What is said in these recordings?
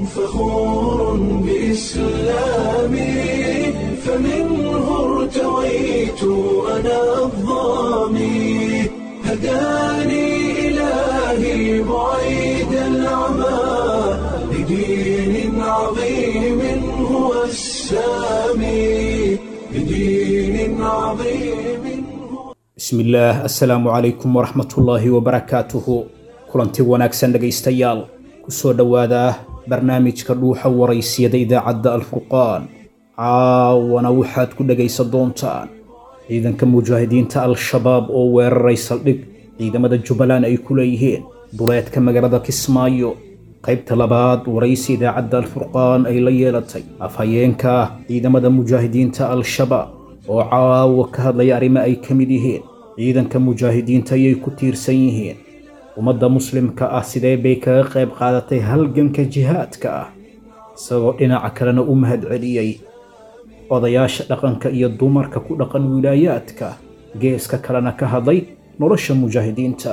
فخور بإسلامي، فمنه ارتويت أنا الظامي، هداني إلهي بعيد العمى لدين عظيم هو السامي، لدين عظيم هو. Bismillaah, assalaamu calaykum waraxmatullaahi wabarakaatuhu. Kulanti wanaagsan dhegaystayaal, kusoo dhowaada barnaamijka Dhuuxa Waraysiyada idaacadda Alfurqaan. Caawana waxaad ku dhegaysan doontaan ciidanka mujaahidiinta Al-Shabaab oo weeraray saldhig ciidamada Jubbaland ay ku leeyihiin duleedka magaalada Kismaayo. Qaybta labaad waraysi idaacadda Alfurqaan ay la yeelatay afhayeenka ciidamada mujaahidiinta Al-Shabaab oo caawa ka hadlaya arrimo ay ka mid yihiin ciidanka mujaahidiinta ayay ku tiirsan yihiin, ummadda muslimka ah sidee bay kaga qayb qaadatay halganka jihaadka ah, isagoo dhinaca kalena u mahadceliyey odayaasha dhaqanka iyo dumarka ku dhaqan wilaayaadka, geeska kalena ka hadlay nolosha mujaahidiinta.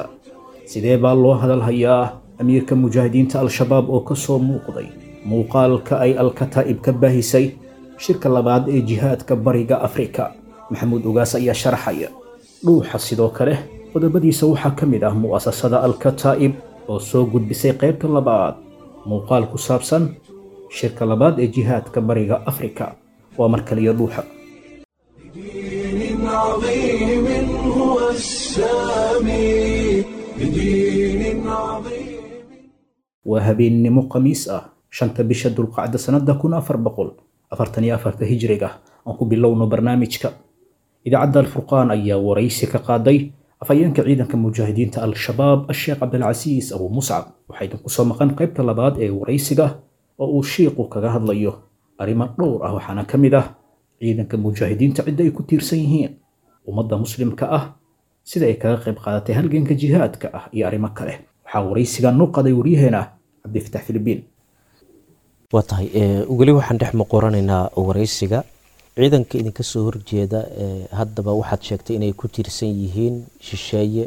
Sidee baa loo hadalhayaa amiirka mujaahidiinta Al-Shabaab oo ka soo muuqday muuqaalka ay Alkataa'ib ka baahisay shirka labaad ee jihaadka Bariga Afrika? Maxamuud Ogaas ayaa sharaxaya. Dhuuxa sidoo kale qodobadiisa waxaa ka mid ah mu'asasada Alkataa'ib oo soo gudbisay qaybta labaad muuqaal ku saabsan shirka labaad ee jihaadka Bariga Afrika. Waa mar kaliya Dhuuxa. لدين عظيم هو السامي، لدين عظيم. Waa habeennimo Khamiis ah, 5-ta bisha Dulqacda sannada 1444-ka hijriga. Aan ku bilowno barnaamijka. Idaacadda Alfurqaan ayaa waraysi ka qaaday afhayeenka ciidanka mujaahidiinta Al-Shabaab, Asheekh Cabdilcasiis Abu Muscab. Waxaa idinku soo maqan qaybta labaad ee waraysiga oo uu shiiqu kaga hadlayo arrimo dhowr ah, waxaana ka mid ah ciidanka mujaahidiinta cidda ay ku tiirsan yihiin, ummadda muslimka ah sida ay kaga qayb qaadatay halganka jihaadka ah iyo arrimo kale. Waxaa waraysigan noo qaday waryaheena Cabdifatax Filibiin. Waa tahay, weli waxaan dhex muquranaynaa waraysiga ciidanka idinka soo horjeeda. Haddaba waxaad sheegtay inay ku tiirsan yihiin shisheeye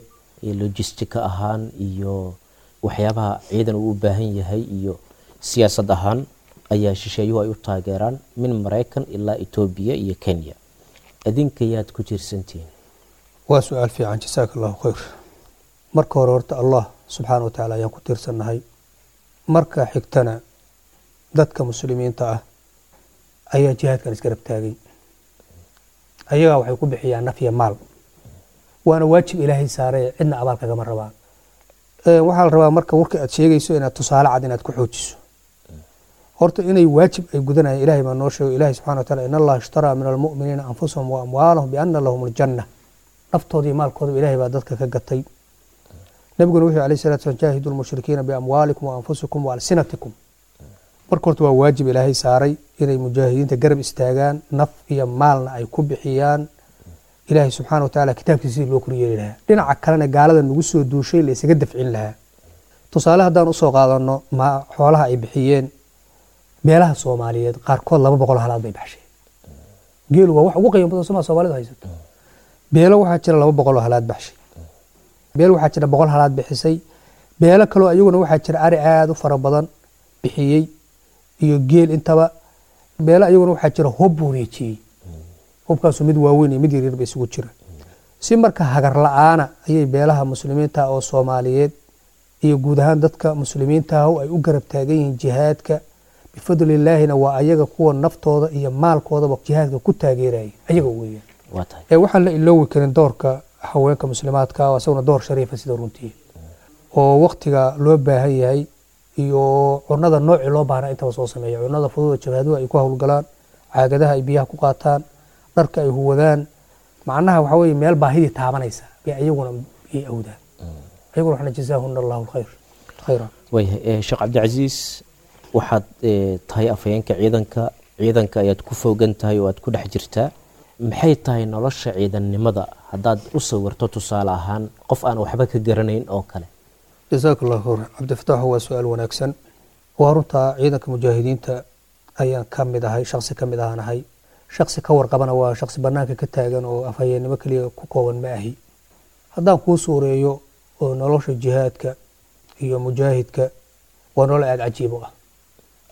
logistika ahaan iyo waxyaabaha ciidan uu u baahan yahay iyo siyaasad ahaan ayaa shisheeyuhu ay u taageeraan, min Maraykan ilaa Etoobiya iyo Kenya. Idinka yaad ku tiirsantihiin? Waa su-aal fiican, jasaaka allahu khayr. Marka hore horta Allah subxaana wa tacaala ayaan ku tiirsannahay. Marka xigtana dadka muslimiinta ah ayaa jihaadkan isgarab taagay. Ayagaa waxay ku bixiyaan naf iyo maal, waana waajib Ilaahay saaray, cidna abaal kagama rabaan. Waxaa la rabaa marka warka aad sheegayso inaad tusaale cad inaad ku xoojiso. Horta inay waajib ay gudanayaan Ilahay baa noo sheegay. Ilahay subxana wa taala, in Allaha ishtaraa min almu'miniina anfusahum wa amwaalahum bianna lahum aljanna. Naftooda iyo maalkooda Ilahay baa dadka ka gatay. Nabiguna wuxuu alayhi salatu wasalam, jaahidu lmushrikiina biamwaalikum wa anfusikum wa alsinatikum. Marka horta waa waajib Ilaahay saaray inay mujaahidiinta garab istaagaan, naf iyo maalna ay ku bixiyaan Ilaahay subxaana wa tacaala kitaabkiisa sidii loo koryeeli lahaa, dhinaca kalena gaalada nagu soo duushay la isaga dafcin lahaa. Tusaale haddaan usoo qaadano ma xoolaha ay bixiyeen beelaha Soomaaliyeed, qaarkood 200 halaad bay baxsheen. Geelu waa wax ugu qiimo badan Somaa Soomaalidu haysato. Beelo waxaa jira 200 oo halaad baxshay, beel waxaa jira 100 halaad bixisay, beelo kaloo ayaguna waxaa jira ari aada u fara badan bixiyey iyo geel intaba, beelo ayaguna waxaa jira hub wareejiyey. Hubkaasu mid waaweyn iyo mid yaryar ba isugu jira. Si marka hagar la-aana ayay beelaha muslimiinta oo Soomaaliyeed iyo guud ahaan dadka muslimiinta ah ay u garab taagan yihiin jihaadka. Bifadlillaahina waa ayaga kuwa naftooda iyo maalkoodaba jihaadka ku taageeraya ayaga weeyaan. Waa tahay. Waxaan la iloowi karin doorka haweenka muslimaadka ah oo isaguna door shariifa sida runtii oo waktiga loo baahan yahay iyo cunada noocii loo baahnaa intaba soo sameeya. Cunada fudud oo jabhaduhu ay ku howlgalaan, caagadaha ay biyaha ku qaataan, dharka ay huwadaan, macnaha waxaa weeye meel baahidii taabanaysa bay ayaguna yay awdaan. Ayaguna waxna jazaahuna Allahu alkhayr khayran. Waayahay, Sheekh Cabdicasiis, waxaad tahay afhayeenka ciidanka. Ciidanka ayaad ku foogan tahay oo aad ku dhex jirtaa. Maxay tahay nolosha ciidannimada haddaad u sawirto tusaale ahaan qof aan waxba ka garanayn oo kale? Jazaaka allahu khayr, Cabdifataax, waa su-aal wanaagsan. Waa runtaa, ciidanka mujaahidiinta ayaan ka mid ahay, shaksi ka mid ahaan ahay, shaksi ka warqabana waa shaksi banaanka ka taagan oo afhayeennimo keliya ku kooban ma ahi. Haddaan kuu suureeyo oo nolosha jihaadka iyo mujaahidka, waa nolol aada cajiib u ah.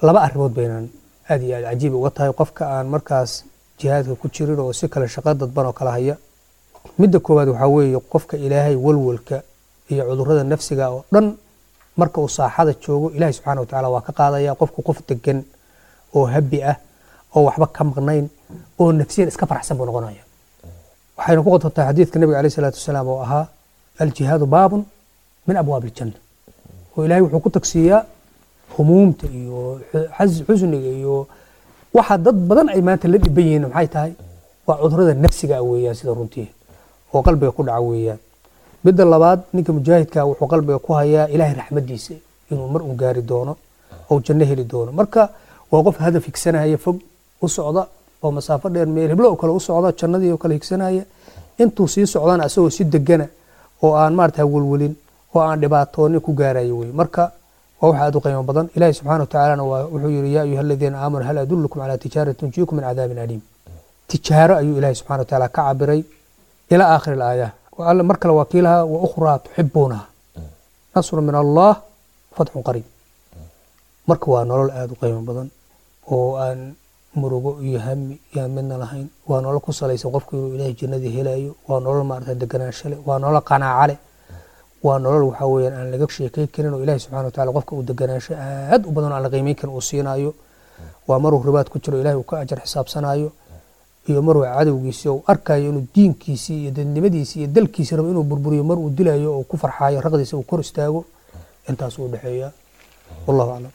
Laba arrimood baynan aad iyo aad cajiib uga tahay qofka aan markaas jihaadka ku jirin oo si kale shaqo dadban oo kala haya. Midda koowaad waxaa weeye qofka Ilaahay walwalka iyo cudurrada nafsiga oo dhan marka uu saaxada joogo Ilaahay subxaana watacaala waa ka qaadaya. Qofku qof degan oo habi ah oo waxba ka maqnayn oo nafsiyan iska faraxsan buu noqonaya. Waxayna ku qotontahay xadiidka nabiga caleyhi salaatu wasalaam oo ahaa aljihaadu baabun min abwaabi aljanna, oo Ilaahay wuxuu ku tagsiiyaa humuumta iyo xusniga iyo waxa dad badan ay maanta la dhiban yihiin. Maxay tahay? Waa cudurrada nafsiga ah weeyaan, sida runtii oo qalbiga ku dhaca weeyaan. Midda labaad, ninka mujaahidka wuxuu qalbiga ku hayaa Ilaahay raxmadiisa inuu mar un gaari doono oo janno heli doono. Marka waa qof hadaf higsanaya, fog u socda oo masaafo dheer meel heblo oo kale u socda, jannadii oo kale higsanaya. Intuu sii socdana asagoo si degana oo aan maarata welwelin oo aan dhibaatoonin ku gaarayo wey. Marka waa wax aad u qiimo badan. Ilaahi subxaana watacaalana waa wuxuu yidhi: yaa ayuha aladiina aamanuu hal adullukum calaa tijaaratin tunjiikum min cadaabin aliim. Tijaaro ayuu Ilaahi subxana watacaala ka cabiray ilaa aakhiri alaaya. Alla mar kale waa kiilaha: wa ukhraa tuxibuunaha nasru min Allah fatxun qariib. Marka waa nolol aada u qiimo badan oo aan murugo iyo hami yaan midna lahayn. Waa nolol ku salaysan qofku inuu Ilaahay jannadii helayo. Waa nolol maarata deganaansho leh, waa nolol qanaaco leh, waa nolol waxaa weeyaan aan laga sheekay karin oo Ilaahay subxana wataala qofka uu deganaansho aad u badan oo aan la qiimeyn karin uu siinayo. Waa maruu ribaad ku jiro Ilaahay uu ka ajar xisaabsanayo iyo maruu cadowgiisii uu arkayo inuu diinkiisii iyo dadnimadiisii iyo dalkiisii rabo inuu burburiyo, mar uu dilayo oo ku farxaayo raqdiisa uu kor istaago. Intaas uu dhexeeya, wallahu aclam.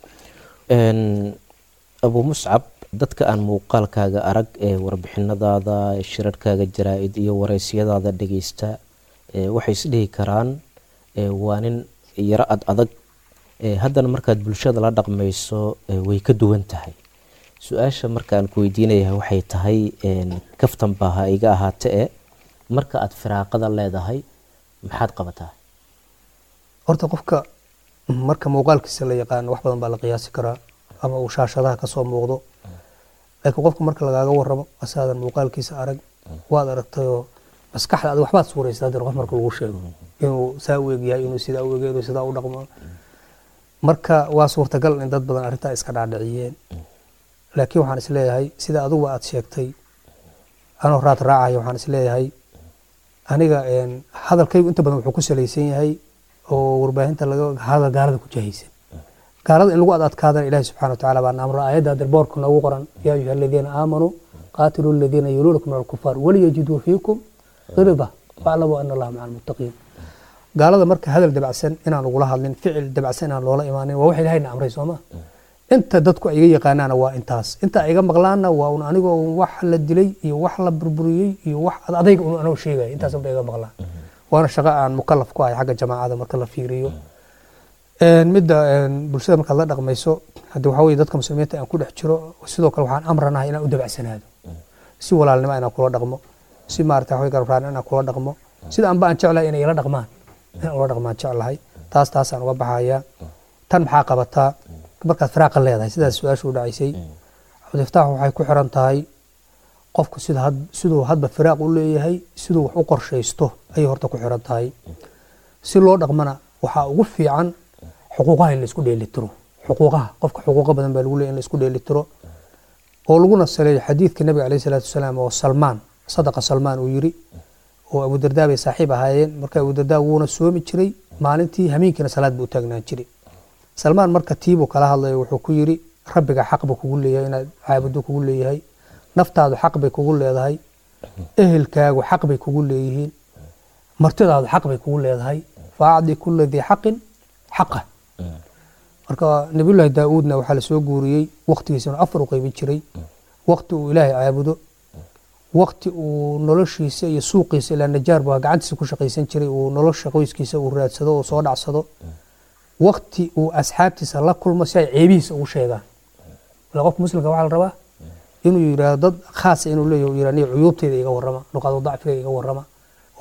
Abu Muscab, dadka aan muuqaalkaaga arag ee warbixinadaada, shirarkaaga jaraa-id iyo wareysiyadaada dhegeysta waxay isdhihi karaan waa nin yaro ad adag. Haddana markaad bulshada la dhaqmayso way ka duwan tahay. Su-aasha marka aan ku weydiinayahay waxay tahay, kaftan baa ha iga ahaate e, marka aad firaaqada leedahay maxaad qabataa? Horta qofka marka muuqaalkiisa la yaqaano wax badan baa la qiyaasi karaa ama uu shaashadaha kasoo muuqdo, laakiin qofka marka lagaaga waramo asaadan muuqaalkiisa arag, waad aragtayoo maskaxda adig waxbaad suuraysa. Haddana qof marka lagu sheego inuu saa u egyahay, inuu sidaa u egyahay, inuu sidaa u dhaqmo, marka waa suurtagal in dad badan arrintaa iska dhaadhiciyeen. Laakiin waxaan isleeyahay sida adiguba aad sheegtay, anoo raad raacaya, waxaan isleeyahay aniga hadalkaygu inta badan wuxuu ku salaysan yahay oo warbaahinta laga hadal gaalada ku jahaysan, gaalada in lagu ad adkaadana Ilahi subxana wa tacala baa amro. Aayadda dirboorka noogu qoran: yaa ayuha aladiina aamanuu qaatiluu aladiina yaluunakum min alkufaar waliyajiduu fiikum qilda waaclamuu ana Allaha maca almuttaqiin. Gaalada marka hadal dabacsan inaan lagula hadlin, ficil dabacsan inaan loola imaanin, waa wax Ilahayna amray, sooma? Inta dadku ay iga yaqaanaana waa intaas, inta ay iga maqlaanna waa un anigoo wax la dilay iyo wax la burburiyey iyo wax adayga un anoo sheegaya, intaas unba iga maqlaan. Waana shaqo aan mukalaf ku ahay xagga jamaacada marka la fiiriyo. Midda bulshada markaad la dhaqmayso haddi waxaa weye dadka muslimiinta aan ku dhex jiro, sidoo kale waxaan amranahay inaan u dabacsanaado, si walaalnimo inaan kula dhaqmo, si maarata waxaway garbraan inaan kula dhaqmo, sida anba aan jeclahay inay ila dhaqmaan inaan ula dhaqmaan jeclahay. Taasaan uga baxayaa. Tan maxaa qabataa markaad firaaqa leedahay? Sidaas su-aashu u dhacaysay, Cabdifataax, waxay ku xiran tahay qofku sida siduu hadba firaaq u leeyahay, siduu wax u qorshaysto ayay horta ku xiran tahay. Si loo dhaqmana waxaa ugu fiican xuquuqaha in la isku dheelitiro. Xuquuqaha qofka, xuquuqo badan baa lagu leeyahay, in la isku dheelitiro oo laguna saleeyo xadiidka nabiga caleyhi salaatu wasalaam oo Salmaan, sadaqa Salmaan, uu yiri, oo Abudardaa bay saaxiib ahaayeen. Marka Abudardaa wuuna soomi jiray maalintii, hameenkiina salaad buu u taagnaan jiray. Salmaan marka tiibuu kala hadlayo wuxuu ku yiri: rabbiga xaq buu kugu leeyahay inaad caabudo kugu leeyahay, naftaadu xaq bay kugu leedahay, ehelkaagu xaq bay kugu leeyihiin, martidaadu xaq bay kugu leedahay, faacdi kula dii xaqin xaqa. Marka Nabiyullaahi Daauudna waxaa lasoo guuriyey waqtigiisana afar u qaybin jiray: waqti uu Ilaahay caabudo, waqti uu noloshiisa iyo suuqiisa, ilaa najaar baa gacantiisa ku shaqaysan jiray, uu nolosha qoyskiisa uu raadsado oo soo dhacsado, waqti uu asxaabtiisa la kulmo si ay ceebihiisa ugu sheegaan. Ila qofka muslimka waxaa la rabaa inuu yidhaahdo dad khaasa inuu leeyahay uu yidhahdo aniga cuyuubtayda iga warrama, nuqaado dacfiga iga warrama,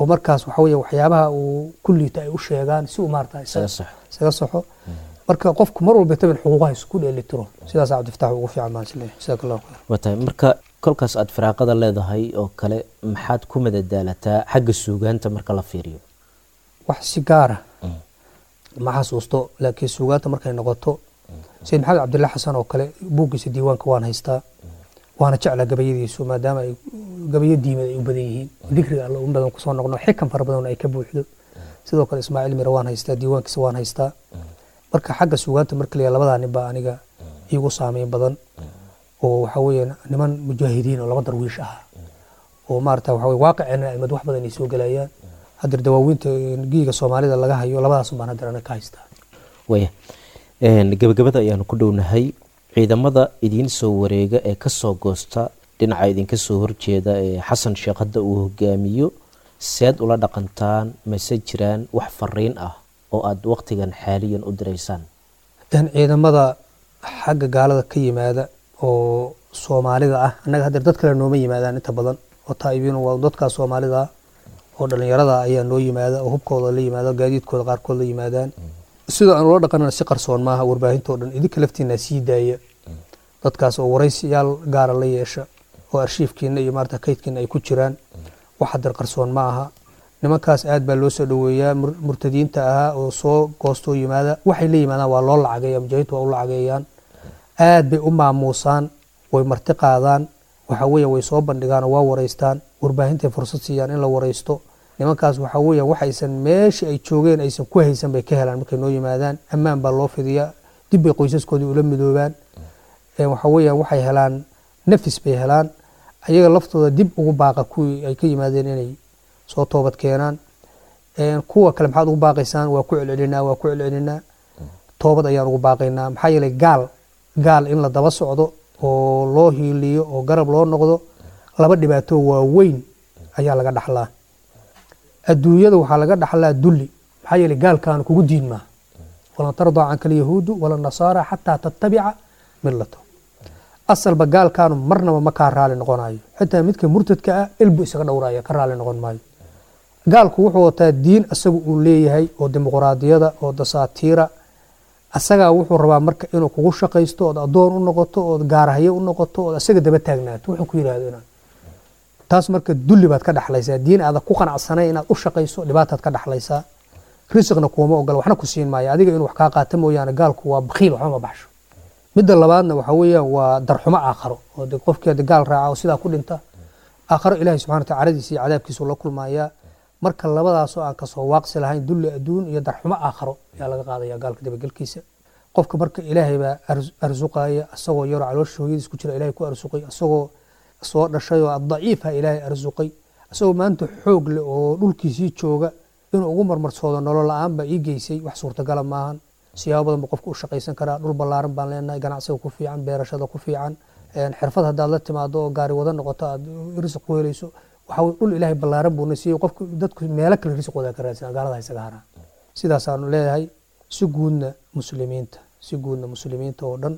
oo markaas waxa weeye waxyaabaha uu ku liito ay u sheegaan si uu maarata isaga saxo. Marka qofku mar walba tabin xuquuqaha isku dheelitiro, sidaas Cabdifataax ugu fiican baan isleeyahay. Jazaaka Allahu khayr. Waa tahay. Marka kolkaas aad firaaqada leedahay oo kale maxaad ku madadaalataa xagga suugaanta marka la fiiriyo? Wax si gaara ma xasuusto, laakiin suugaanta markay noqoto Sayid Maxamed Cabdilla Xasan oo kale buuggiisa diiwaanka waan haystaa, waana jeclaa gabayadiisu, maadaama ay gabayo diimeed ay u badan yihiin, dikriga Alla un badan kusoo noqno, xikan fara badan ay ka buuxdo. Sidoo kale Ismaaciil Mire waan haystaa, diiwaankiisa waan haystaa. Marka xagga suugaanta marka la labadaa nin baa aniga iigu saameyn badan, oo waxa weeye niman mujaahidiin oo laba darwiish ah oo maarata waxa weye waaqiceena aimad wax badan ay soo gelayaan. Hadeer dawaawiinta giiga Soomaalida laga hayo labadaas baan hadeer aniga ka haystaa. Waya, gabagabada ayaanu ku dhownahay. Ciidamada idiin soo wareega ee kasoo goosta dhinaca idinka soo horjeeda ee Xasan Sheekh hadda uu hogaamiyo, seed ula dhaqantaan? Mase jiraan wax fariin ah oo aada waqtigan xaaliyan u diraysaan? Ciidamada xagga gaalada ka yimaada oo Soomaalida ah, annaga hadeer dad kale nooma yimaadaan inta badan oo taa'ibiin, waa dadkaa Soomaalida ah oo dhalinyarada ayaa noo yimaada oo hubkooda la yimaada, gaadiidkooda qaarkood la yimaadaan. Sida aan ula dhaqanana si qarsoon maaha, warbaahintoo dhan idinka laftiina sii daaya dadkaas oo waraysiyaal gaara la yeesha oo arshiifkiina iyo maarata kaydkiina ay ku jiraan. Wax hadeer qarsoon ma aha. Nimankaas aad baa loo soo dhoweeyaa, murtadiinta ahaa oo soo goostoo yimaada. Waxay la yimaadaan waa loo lacageeya, mujaahidiintu waa u lacageeyaan, aad bay u maamuusaan, way marti qaadaan, waxa weeye way soo bandhigaan oo waa wareystaan, warbaahintay fursad siiyaan in la wareysto. Nimankaas waxa weeyaan waxaysan meeshii ay joogeen aysan ku haysan bay ka helaan markay noo yimaadaan. Ammaan baa loo fidiyaa, dib bay qoysaskoodii ula midoobaan. Waxa weeyaan waxay helaan nafis bay helaan, ayaga laftooda dib ugu baaqa kuwii ay ka yimaadeen inay soo toobad keenaan. Kuwa kale maxaad ugu baaqaysaan? Waa ku celcelinaa, waa ku celcelinaa, toobad ayaan ugu baaqaynaa. Maxaa yeelay gaal in la daba socdo oo loo hiiliyo oo garab loo noqdo, laba dhibaato waaweyn ayaa laga dhaxlaa. Adduunyada waxaa laga dhaxlaa dulli, maxaa yeelay gaalkaanu kugu diin maaha. Walan tardaa canka alyahuudu wala nasaara xataa tattabica millato. Asalba gaalkaanu marnaba ma kaa raali noqonayo, xitaa midka murtadka ah ilbu isaga dhowraya, ka raali noqon maayo. Gaalku wuxuu wataa diin asagu uu leeyahay oo dimuqraadiyada oo dasaatiira. Asagaa wuxuu rabaa marka inuu kugu shaqaysto ood addoon u noqoto ood gaarahyo u noqoto ood asaga daba taagnaato wuxuu ku yidhaahdo inaad taas. Marka dulli baad ka dhaxlaysaa, diin aada ku qanacsanay inaad u shaqayso dhibaataad ka dhaxlaysaa. Risiqna kuuma ogola, waxna ku siin maayo adiga inuu wax kaa qaata mooyaane. Gaalku waa bakhiil, waxba ma baxsho. Midda labaadna waxa weeyaan waa darxumo aakharo, oo de qofkii hadda gaal raaca oo sidaa ku dhinta, aakharo Ilaahay subxana wa taala caradiisa iyo cadaabkiisu la kulmayaa. Marka labadaasoo aan kasoo waaqsi lahayn, dulli adduun iyo darxumo aakharo ayaa laga qaadaya gaalka dabagelkiisa. Qofka marka Ilaahay baa arsuqaya, asagoo yaroo caloosha hooyadiis ku jira Ilaahay ku arsuqay, asagoo soo dhashay oo daciifa Ilaahay arsuqay, asagoo maanta xoog leh oo dhulkiisii jooga inuu ugu marmarsoodo nolol la-aan baa ii geysay, wax suurtagala maahan. Siyaabo badan buu qofku u shaqaysan karaa. Dhul ballaaran baan leenahay, ganacsiga ku fiican, beerashada ku fiican, xirfad haddaad la timaado oo gaari wada noqoto aad risiq ku helayso. Waxa weye dhul Ilaahay ballaaran buuna siiyey. Qofku dadku meelo kale risiqooda ka raadsan, gaalada isaga haraan. Sidaasaanu leeyahay. Si guudna muslimiinta, si guudna muslimiinta oo dhan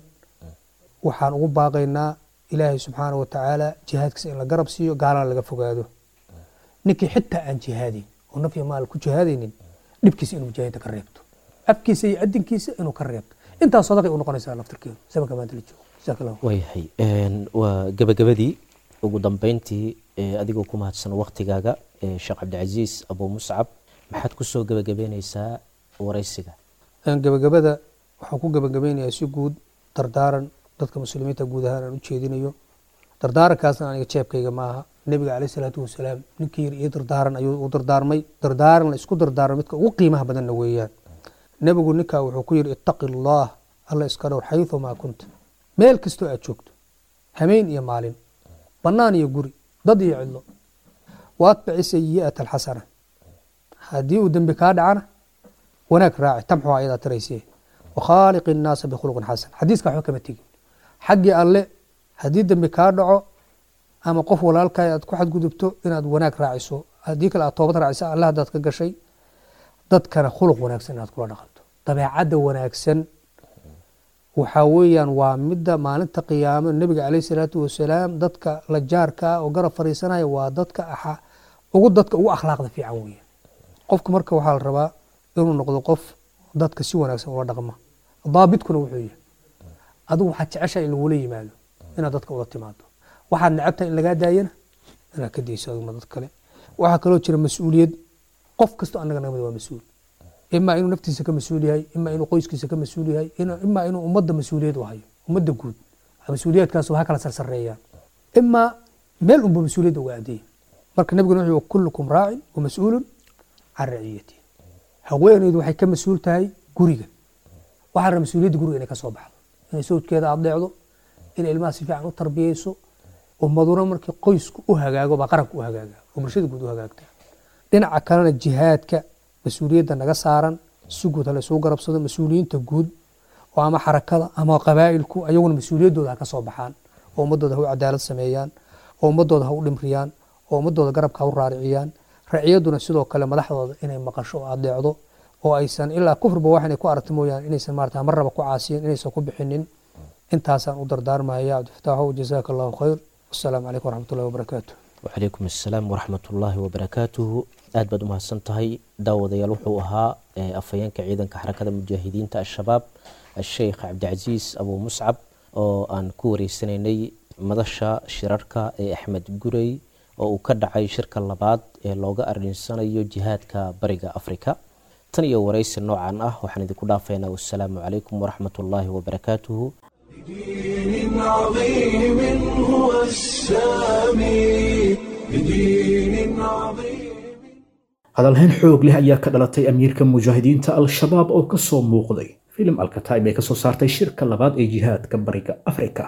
waxaan ugu baaqaynaa Ilaahay subxaana wa tacaala jihaadkiisa in la garab siiyo, gaalana laga fogaado. Ninkii xitaa aan jihaadayn oo naf iyo maal ku jihaadaynin, dhibkiisa inuu mujaahidiinta ka reebto, afkiisa iyo adinkiisa inuu ka reebto, intaas sadaqay u noqonaysaa laftirkeedu zamanka maanta la joogo. Jazaaka Allah. Waayahay, waa gabagabadii. Ugu dambeyntii, adigoo ku mahadsan waqtigaaga, Sheekh Cabdicasiis Abu Muscab, maxaad kusoo gabagabeyneysaa waraysiga? Gabagabada waxaan ku gabagabeynayaa si guud dardaaran dadka muslimiinta guud ahaan aan u jeedinayo. Dardaarankaasna aniga jeebkayga ma aha. Nebiga caleyhi salaatu wasalaam ninkii yiri ii dardaaran ayuu u dardaarmay. Dardaaran la isku dardaarmo midka ugu qiimaha badanna weeyaan. Nebigu ninkaa wuxuu ku yidhi: ittaqi Allah, Alla iska dhowr, xayumaa kunta, meel kastoo aad joogto, hameen iyo maalin, bannaan iyo guri, dad iyo cidlo. Waatbici sayi'ata alxasana, haddii uu dembi kaa dhacana wanaag raaci, tamxu ayadaa tiraysee. Wakhaaliqi innaasa bikhuluqin xasan. Xadiiska waxba kama tegin. Xaggii Alle haddii dembi kaa dhaco ama qof walaalkaay aad ku xadgudubto, inaad wanaag raaciso, haddii kale aad toobad raaciso Alle haddaad ka gashay, dadkana khuluq wanaagsan inaad kula dhaqanto. Dabeecadda wanaagsan waxaa weeyaan waa midda maalinta qiyaamo nebiga caleyhi salaatu wasalaam dadka la jaarka ah oo garab fariisanaya waa dadka ugu dadka ugu akhlaaqda fiican weeyaan. Qofka marka waxaa la rabaa inuu noqdo qof dadka si wanaagsan ula dhaqma. Daabidkuna wuxuu yahay: adigu waxaad jeceshahay in lagula yimaado inaad dadka ula timaado, waxaad necabtahay in lagaa daayana inaad ka dayso adiguna dad kale. Waxaa kaloo jira mas-uuliyad. Qof kastoo annaga naga mid waa mas-uul. Imaa inuu naftiisa ka mas-uul yahay, imaa inuu qoyskiisa ka mas-uul yahay, imaa inuu ummadda mas-uuliyad u hayo, ummadda guud mas-uuliyaadkaas ha kala sarsareeyaan, imaa meel unba mas-uuliyadda uga adeeyay. Marka nabiguna wuxuu kullukum raacin wa mas-uulun can raciyati. Haweeneydu waxay ka mas-uul tahay guriga. Waxaa raba mas-uuliyadda guriga inay ka soo baxdo, inay sawjkeeda adeecdo, inay ilmaha si fiican u tarbiyeyso. Ummaduna markii qoysku u hagaago baa qaranku u hagaaga oo bulshada guud u hagaagta. Dhinaca kalena jihaadka mas-uuliyadda naga saaran si guud hala isugu garabsado. Mas-uuliyiinta guud oo ama xarakada ama qabaa'ilku ayaguna mas-uuliyaddooda ha ka soo baxaan, oo ummadooda ha u cadaalad sameeyaan, oo ummadooda ha u dhimriyaan, oo ummadooda garabka ha u raariciyaan. Raciyadduna sidoo kale madaxdooda inay maqasho oo adeecdo, oo aysan ilaa kufriba wax inay ku aragto mooyaane inaysan maarata marnaba ku caasiyin, inaysan ku bixinin. Intaasaan u dardaarmaya. Cabdifataaxow, jazaaka allahu khayr. Wasalaamu calaykum waraxmatullahi wabarakaatu. Wacalaykum assalaam waraxmatullaahi wabarakaatuhu. Aad baad umahadsan tahay. Daawadayaal, wuxuu ahaa afhayeenka ciidanka xarakada mujaahidiinta Al-Shabaab, Asheikh Cabdicasiis Abuu Muscab, oo aan ku wareysanaynay madasha shirarka ee Axmed Gurey oo uu ka dhacay shirka labaad ee looga arrinsanayo jihaadka Bariga Afrika. Tan iyo wareysi noocan ah waxaan idinku dhaafaynaa wassalaamu calaykum waraxmatullaahi wabarakaatuhu. بدين عظيم هو السامي، بدين عظيم. Hadalhayn xoog leh ayaa ka dhalatay amiirka mujaahidiinta Al-Shabaab oo ka soo muuqday filim Alkataib ay ka soo saartay shirka labaad ee jihaadka Bariga Afrika.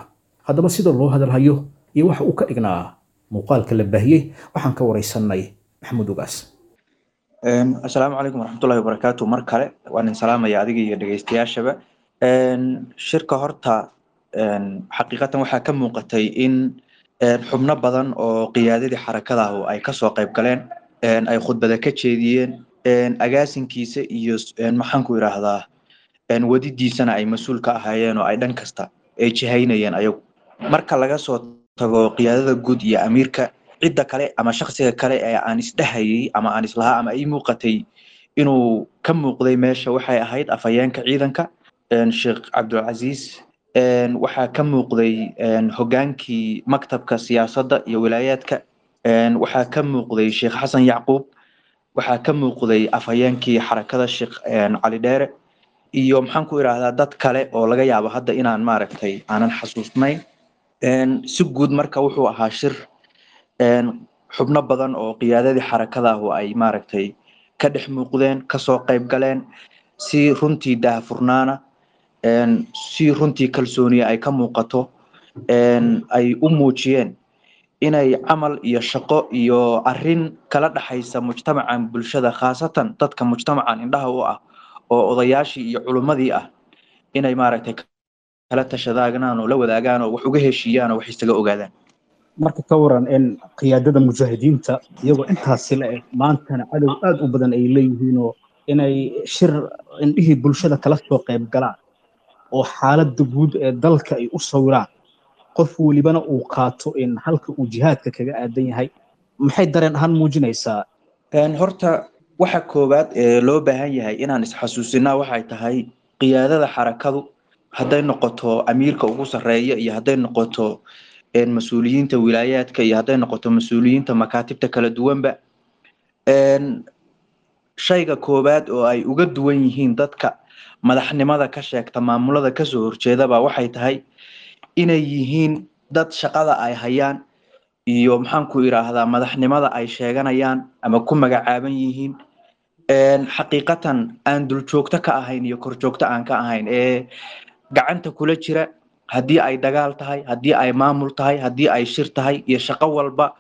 Haddaba sida loo hadalhayo iyo waxa uu ka dhignaa muuqaalka la baahiyey waxaan ka waraysanay Maxamuud Ugaas. Asalaamu calaykum waraxmatullahi wabarakaatu. Mar kale waan idin salaamaya adiga iyo dhegeystayaashaba. Shirka horta xaqiiqatan waxaa ka muuqatay in xubno badan oo qiyaadadii xarakadahu ay kasoo qayb galeen, ay khudbada ka jeediyeen, agaasinkiisa iyo maxaan ku idhaahdaa wadidiisana ay mas-uul ka ahaayeen oo ay dhan kasta ay jihaynayeen ayagu. Marka laga soo tago qiyaadada guud iyo amiirka, cidda kale ama shakhsiga kale ee aan isdhehayay ama aan islahaa ama ii muuqatay inuu ka muuqday meesha waxay ahayd afhayeenka ciidanka, Sheekh Cabdulcasiis. Waxaa ka muuqday hogaankii maktabka siyaasadda iyo wilaayaadka, waxaa ka muuqday Sheekh Xasan Yacquub, waxaa ka muuqday afhayeenkii xarakada Sheekh Cali Dheere, iyo maxaan ku idhaahdaa dad kale oo laga yaabo hadda inaan maaragtay aanan xasuusnayn. Si guud marka wuxuu ahaa shir xubno badan oo qiyaadadii xarakadahu ay maaragtay ka dhex muuqdeen, kasoo qayb galeen, si runtii daahfurnaana, si runtii kalsooniya ay ka muuqato, ay u muujiyeen inay camal iyo shaqo iyo arrin kala dhaxaysa mujtamacan bulshada, khaasatan dadka mujtamacan indhaha u ah oo odayaashii iyo culummadii ah, inay maaragtay kala tashadaagnaan oo la wadaagaan oo wax uga heshiiyaan oo wax isaga ogaadaan. Marka ka waran in qiyaadada mujaahidiinta iyagoo intaasi la eg maantana cadow aad u badan ay leeyihiin oo inay shir indhihii bulshada kala soo qayb galaan oo xaaladda guud ee dalka ay u sawiraan, qof welibana uu qaato in halka uu jihaadka kaga aadan yahay, maxay dareen ahaan muujinaysaa? Horta waxa koowaad ee loo baahan yahay inaan isxasuusinaa waxay tahay qiyaadada xarakadu, hadday noqoto amiirka ugu sarreeya iyo hadday noqoto mas-uuliyiinta wilaayaadka iyo hadday noqoto mas-uuliyiinta makaatibta kala duwanba, shayga koowaad oo ay uga duwan yihiin dadka madaxnimada ka sheegta maamulada kasoo horjeedaba waxay tahay inay yihiin dad shaqada ay hayaan iyo maxaan ku idhaahdaa madaxnimada ay sheeganayaan ama ku magacaaban yihiin xaqiiqatan aan duljoogto ka ahayn iyo korjoogto aan ka ahayn ee gacanta kula jira, haddii ay dagaal tahay, haddii ay maamul tahay, haddii ay shir tahay iyo shaqo walba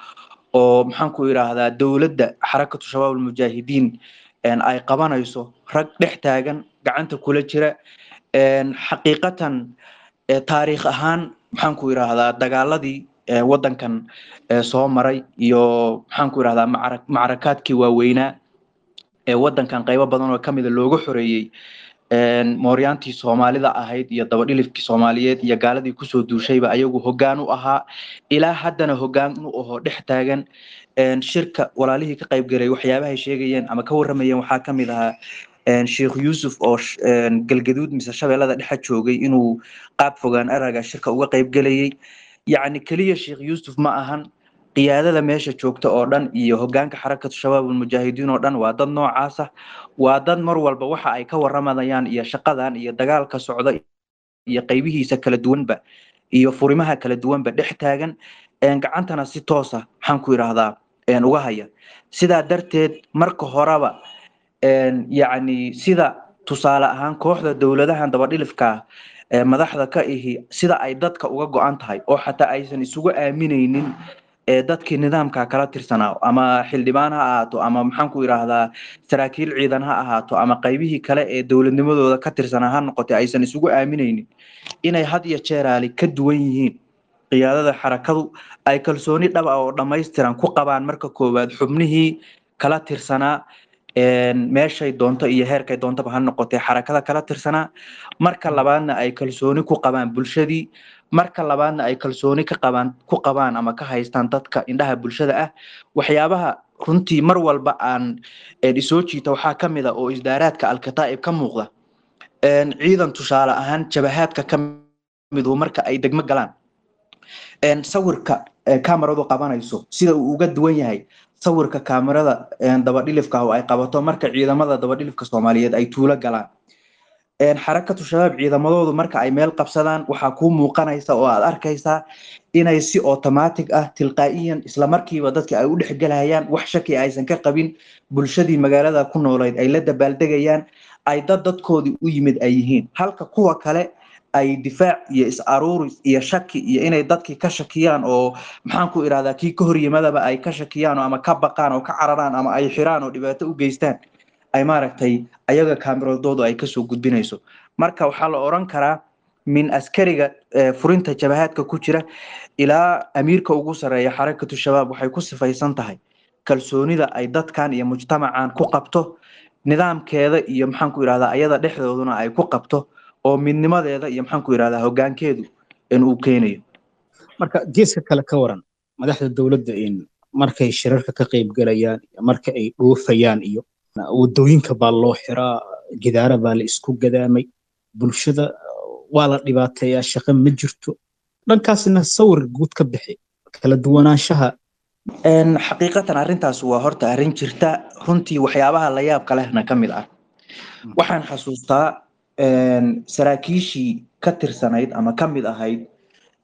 oo maxaan ku idhaahdaa dowladda Xarakatu Shabaab Almujaahidiin ay qabanayso, rag dhex taagan gacanta kula jira. Xaqiiqatan taariikh ahaan maxaan ku idhaahdaa dagaaladii waddankan soo maray iyo maxaan ku idhahdaa macrakaadkii waaweynaa ee waddankan qaybo badan oo kamida looga xoreeyey mooryaantii Soomaalida ahayd iyo dabadhilifkii Soomaaliyeed iyo gaaladii kusoo duushayba ayagu hoggaan u ahaa, ilaa haddana hoggaan u ahoo dhex taagan. Shirka walaalihii ka qayb galay waxyaabahay sheegayeen ama ka warramayeen waxaa ka mid ahaa Sheekh Yuusuf oo Galgaduud mise Shabeellada dhexe joogay inuu qaab fogaan araga shirka uga qayb galayay. Yacni keliya Sheekh Yuusuf ma ahan, Qiyaadada meesha joogta oo dhan iyo hogaanka Xarakatu Shabaab Almujaahidiin oo dhan waa dad noocaas ah, waa dad mar walba waxa ay ka waramayaan iyo shaqadan iyo dagaalka socda iyo qaybihiisa kala duwanba iyo furimaha kala duwanba dhex taagan, gacantana si toos ah, maxaan ku idhaahdaa, uga haya. Sidaa darteed marka horeba, yacni sida tusaale ahaan kooxda dowladahan dabadhilifka ah ee madaxda ka ihi sida ay dadka uga go-an tahay oo xataa aysan isugu aaminaynin ee dadkii nidaamka kala tirsanaa, ama xildhibaan ha ahaato, ama maxaan ku idhaahdaa saraakiil ciidan ha ahaato, ama qaybihii kale ee dowladnimadooda ka tirsanaa ha noqotay, aysan isugu aaminaynin inay had iyo jeeraali ka duwan yihiin qiyaadada xarakadu, ay kalsooni dhab ah oo dhammaystiran ku qabaan marka koowaad xubnihii kala tirsanaa, meeshay doonto iyo heerkay doontaba ha noqotay xarakada kala tirsanaa, marka labaadna ay kalsooni ku qabaan bulshadii, marka labaadna ay kalsooni ka qabaan ku qabaan ama ka haystaan dadka indhaha bulshada ah. Waxyaabaha runtii mar walba aan isoo jiita waxaa ka mid a oo isdaaraadka Alkataa'ib ka muuqda, ciidan tusaale ahaan jabahaadka ka midu marka ay degmo galaan, sawirka kamaradu qabanayso sida uu uga duwan yahay sawirka kaamarada dabadhilifka oo ay qabato marka ciidamada dabadhilifka Soomaaliyeed ay tuulo galaan. Xarakatu Shabaab ciidamadoodu marka ay meel qabsadaan, waxaa kuu muuqanaysa oo aad arkaysaa inay si automatic ah, tilqaa'iyan, isla markiiba dadka ay u dhexgelayaan, wax shaki aysan ka qabin, bulshadii magaalada ku noolayd ay la dabaaldegayaan, ay dad dadkoodii u yimid ay yihiin, halka kuwa kale ay difaac iyo is-aruuris iyo shaki iyo inay dadkii ka shakiyaan oo, maxaan ku idhahdaa, kii ka hor yimadaba ay ka shakiyaan oo ama ka baqaan oo ka cararaan ama ay xiraan oo dhibaato u geystaan, ay maaragtay ayaga kaamiradoodu ay kasoo gudbinayso. Marka waxaa la oran karaa min askariga furinta jabahaadka ku jira ilaa amiirka ugu sarreeya Xarakatu Shabaab waxay ku sifaysan tahay kalsoonida ay dadkan iyo mujtamacan ku qabto nidaamkeeda iyo, maxaan ku idhahdaa, ayada dhexdooduna ay ku qabto oo midnimadeeda iyo, maxaan ku idhahdaa, hoggaankeedu in uu keenayo. Marka geeska kale ka waran madaxda dowladda in markay shirarka ka qayb galayaan, marka ay dhoofayaan iyo wadooyinka baa loo xiraa, gidaara baa la isku gadaamay, bulshada waa la dhibaateeyaa, shaqo ma jirto, dhankaasna sawir guud ka bixi kala duwanaanshaha. Xaqiiqatan arrintaas waa horta arrin jirta runtii, waxyaabaha la yaabka lehna ka mid ah. Waxaan xasuustaa saraakiishii ka tirsanayd ama ka mid ahayd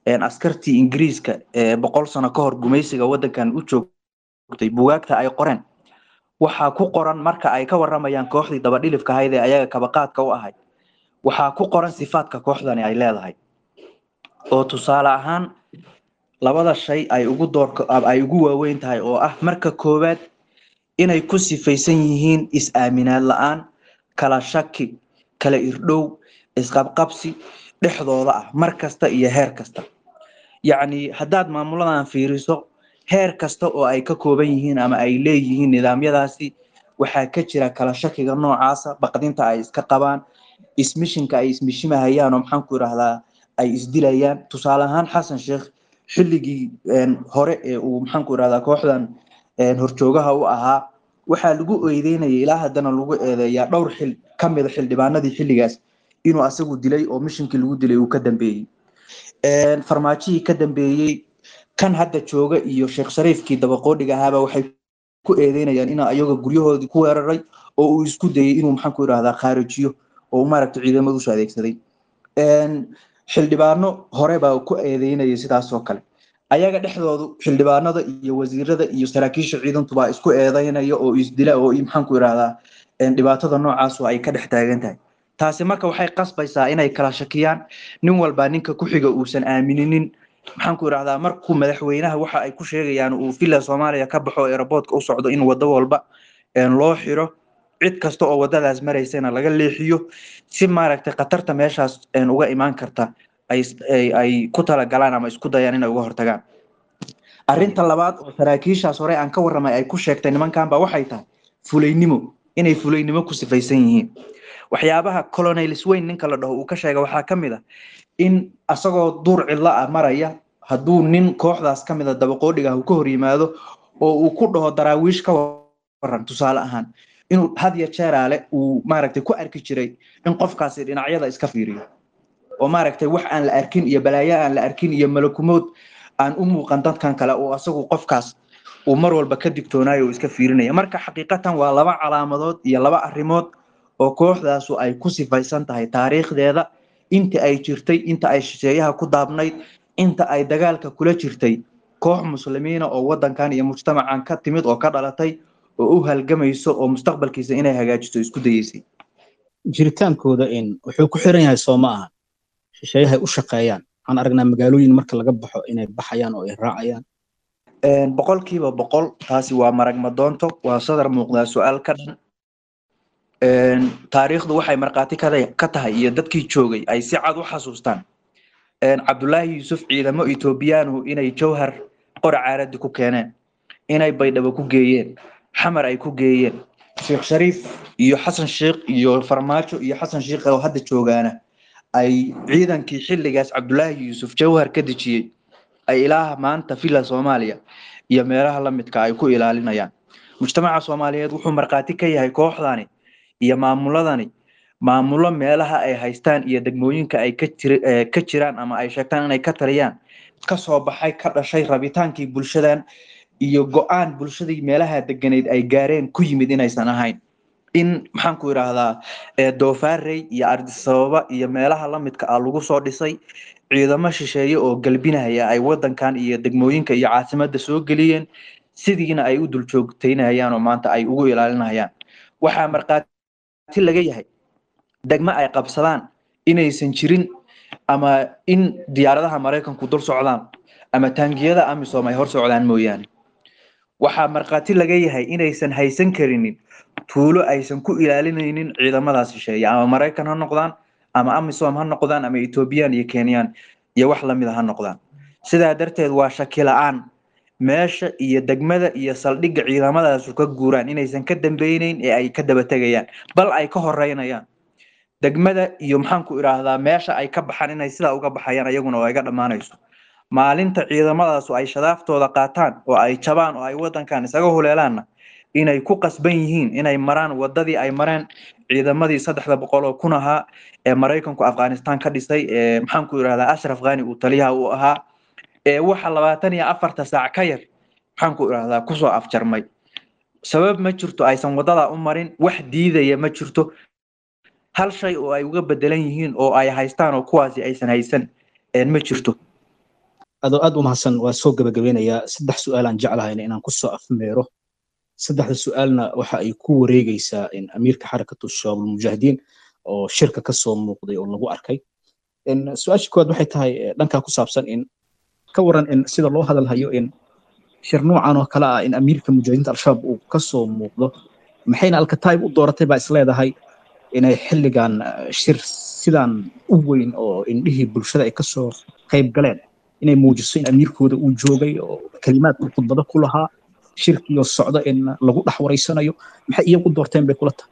askartii Ingiriiska ee 100 sano ka hor gumaysiga waddankan u joogtay, bugaagta ay qoreen waxaa ku qoran marka ay ka waramayaan kooxdii dabadhilifka ahayd ee ayaga kabaqaadka u ahayd, waxaa ku qoran sifaadka kooxdani ay leedahay oo tusaale ahaan labada shay ay ugu doorka ay ugu waaweyn tahay oo ah marka koowaad inay ku sifaysan yihiin is-aaminaad la-aan, kala shaki, kala irdhow, isqabqabsi dhexdooda ah mar kasta iyo heer kasta. Yacni haddaad maamuladan fiiriso, heer kasta oo ay ka kooban yihiin ama ay leeyihiin nidaamyadaasi, waxaa ka jira kala shakiga noocaasa, baqdinta ay iska qabaan, ismishinka ay ismishimahayaan oo, maxaan ku idhahdaa, ay isdilayaan. Tusaale ahaan Xasan Sheekh xilligii hore ee uu, maxaan ku idhahdaa, kooxdan horjoogaha u ahaa, waxaa lagu eedeynaya, ilaa haddana lagu eedeeyaa, dhowr xil ka mida xildhibaanadii xilligaas inuu asagu dilay oo mishinkii lagu dilay uu ka dambeeyey. Farmaajihii ka dambeeyey, kan hadda jooga iyo Sheekh Shariifkii dabaqoodhiga ahaaba waxay ku eedeynayaan inuu ayaga guryahoodii ku weeraray oo uu isku dayay inuu, maxaan ku idhahdaa, khaarijiyo oo uu maaragtay ciidamada usoo adeegsaday. Xildhibaano hore baa ku eedeynayay sidaas oo kale. Ayaga dhexdoodu xildhibaanada iyo wasiirada iyo saraakiisha ciidantu baa isku eedeynaya oo isdila oo, maxaan ku idhahdaa, dhibaatada noocaas oo ay ka dhex taagan tahay. Taasi marka waxay qasbaysaa inay kala shakiyaan, nin walbaa ninka ku xiga uusan aamininin. Maxaan ku idhahdaa, markuu madaxweynaha waxa ay ku sheegayaan uu Villa Soomaaliya ka baxo, airportka u socdo, in wado walba loo xiro, cid kasta oo wadadaas maraysana laga leexiyo, si maaragtay khatarta meeshaas uga imaan karta ay ku talagalaan ama isku dayaan inay uga hortagaan. Arrinta labaad oo saraakiishaas hore aan ka warramay ay ku sheegtay nimankan ba waxay tahay fulaynimo, inay fulaynimo ku sifaysan yihiin. Waxyaabaha Colonel Swain ninka la dhaho uu ka sheegay waxaa ka mid ah in asagoo duur cidlo ah maraya, hadduu nin kooxdaas ka mid a dabaqoodhiga ah uu ka hor yimaado oo uu ku dhaho "Daraawiish ka waran", tusaale ahaan, inuu had iyo jeeraale uu maaragtay ku arki jiray in qofkaasi dhinacyada iska fiiriyo oo maaragtay wax aan la arkin iyo balaayo aan la arkin iyo malakumood aan u muuqan dadkan kale oo asagu qofkaas uu mar walba ka digtoonaayo oo iska fiirinaya. Marka xaqiiqatan waa laba calaamadood iyo laba arrimood oo kooxdaasu ay ku sifaysan tahay taariikhdeeda, inta ay jirtay, inta ay shisheeyaha ku daabnayd, inta ay dagaalka kula jirtay koox muslimiina oo wadankan iyo mujtamacan ka timid oo ka dhalatay oo u halgamayso oo mustaqbalkiisa inay hagaajiso isku dayeysay. Jiritaankooda in wuxuu ku xiran yahay soo ma aha shisheeyahay u shaqeeyaan? Waxaan aragnaa magaalooyin marka laga baxo inay baxayaan oo ay raacayaan. 100%, taasi waa marag madoonto, waa sadar muuqdaa su-aal ka dhan. Taariikhdu waxay markhaati ka tahay iyo dadkii joogay ay si cad u xasuustaan Cabdullaahi Yuusuf ciidamo Etoobiyaanu inay Jowhar qora caaradi ku keeneen, inay Baydhabo ku geeyeen, Xamar ay ku geeyeen. Sheekh Shariif iyo Xasan Sheekh iyo Farmaajo iyo Xasan Sheekh oo hadda joogaana ay ciidankii xilligaas Cabdullaahi Yuusuf Jowhar ka dejiyey ay ilaaha maanta Villa Soomaaliya iyo meelaha la midka ay ku ilaalinayaan. Mujtamaca Soomaaliyeed wuxuu markhaati ka yahay kooxdani iyo maamuladani maamulo meelaha ay haystaan iyo degmooyinka ay ka jiraan ama ay sheegtaan inay ka taliyaan ka soo baxay, ka dhashay rabitaankii bulshadan iyo go-aan bulshadii meelaha deganeyd ay gaareen ku yimid inaysan ahayn. In maxaan ku idhaahdaa, Doofaarey iyo Ardisababa iyo meelaha la midka ah lagu soo dhisay ciidamo shisheeye oo galbinaya ay wadankan iyo degmooyinka iyo caasimadda soo geliyeen, sidiina ay u dul joogtaynayaan oo maanta ay ugu ilaalinayaan. Waxaa markhaati laga yahay degmo ay qabsadaan inaysan jirin, ama in diyaaradaha Maraykanku dul socdaan ama taangiyada AMISOM ay hor socdaan mooyaane. Waxaa markhaati laga yahay inaysan haysan karinin tuulo aysan ku ilaalinaynin ciidamadaas shisheeye, ama Maraykan ha noqdaan ama AMISOM ha noqdaan ama Ethoobiyan iyo Kenyan iyo wax lamid a ha noqdaan. Sidaa darteed waa shaki la-aan meesha iyo degmada iyo saldhigga ciidamadaasu ka guuraan inaysan ka dambeyneyn ee ay ka daba tegayaan, bal ay ka horeynayaan degmada iyo maxaan ku idhaahdaa meesha ay ka baxaan inay sidaa uga baxayaan iyaguna oo ay ga dhammaanayso. Maalinta ciidamadaasu ay shadaaftooda qaataan oo ay jabaan oo ay wadankan isaga huleelaanna inay ku qasban yihiin inay maraan wadadii ay mareen ciidamadii 300,000 ahaa ee Maraykanku Afghanistan ka dhisay ee maxaan ku idhahdaa Ashraf Ghani uu taliyaha u ahaa, ee waxa 24 saac ka yar maxaan ku idhahdaa kusoo afjarmay. Sabab ma jirto aysan wadada u marin, wax diidaya ma jirto, hal shay oo ay uga bedelan yihiin oo ay haystaan oo kuwaasi aysan haysan ma jirto. Adoo aad u mahadsan, waa soo gabagabeynayaa. Saddex su-aalaan jeclahayna inaan kusoo afmeero. Saddexda su-aalna waxa ay ku wareegaysaa in amiirka Xarakatu Shabaab Almujaahidiin oo shirka ka soo muuqday oo lagu arkay. Su-aasha koowaad waxay tahay dhankaa ku saabsan in ka waran in sida loo hadalhayo in shir noocan oo kale ah in amiirka mujaahidiinta Al-Shabaab uu ka soo muuqdo, maxayna Alkataib u dooratay baa isleedahay inay xilligan shir sidaan u weyn oo indhihii bulshada ay kasoo qayb galeen inay muujiso in amiirkooda uu joogay oo kalimaad uu khudbado ku lahaa shirkiyo socda in lagu dhex wareysanayo, maxay iyagu doorteen bay kula tahay?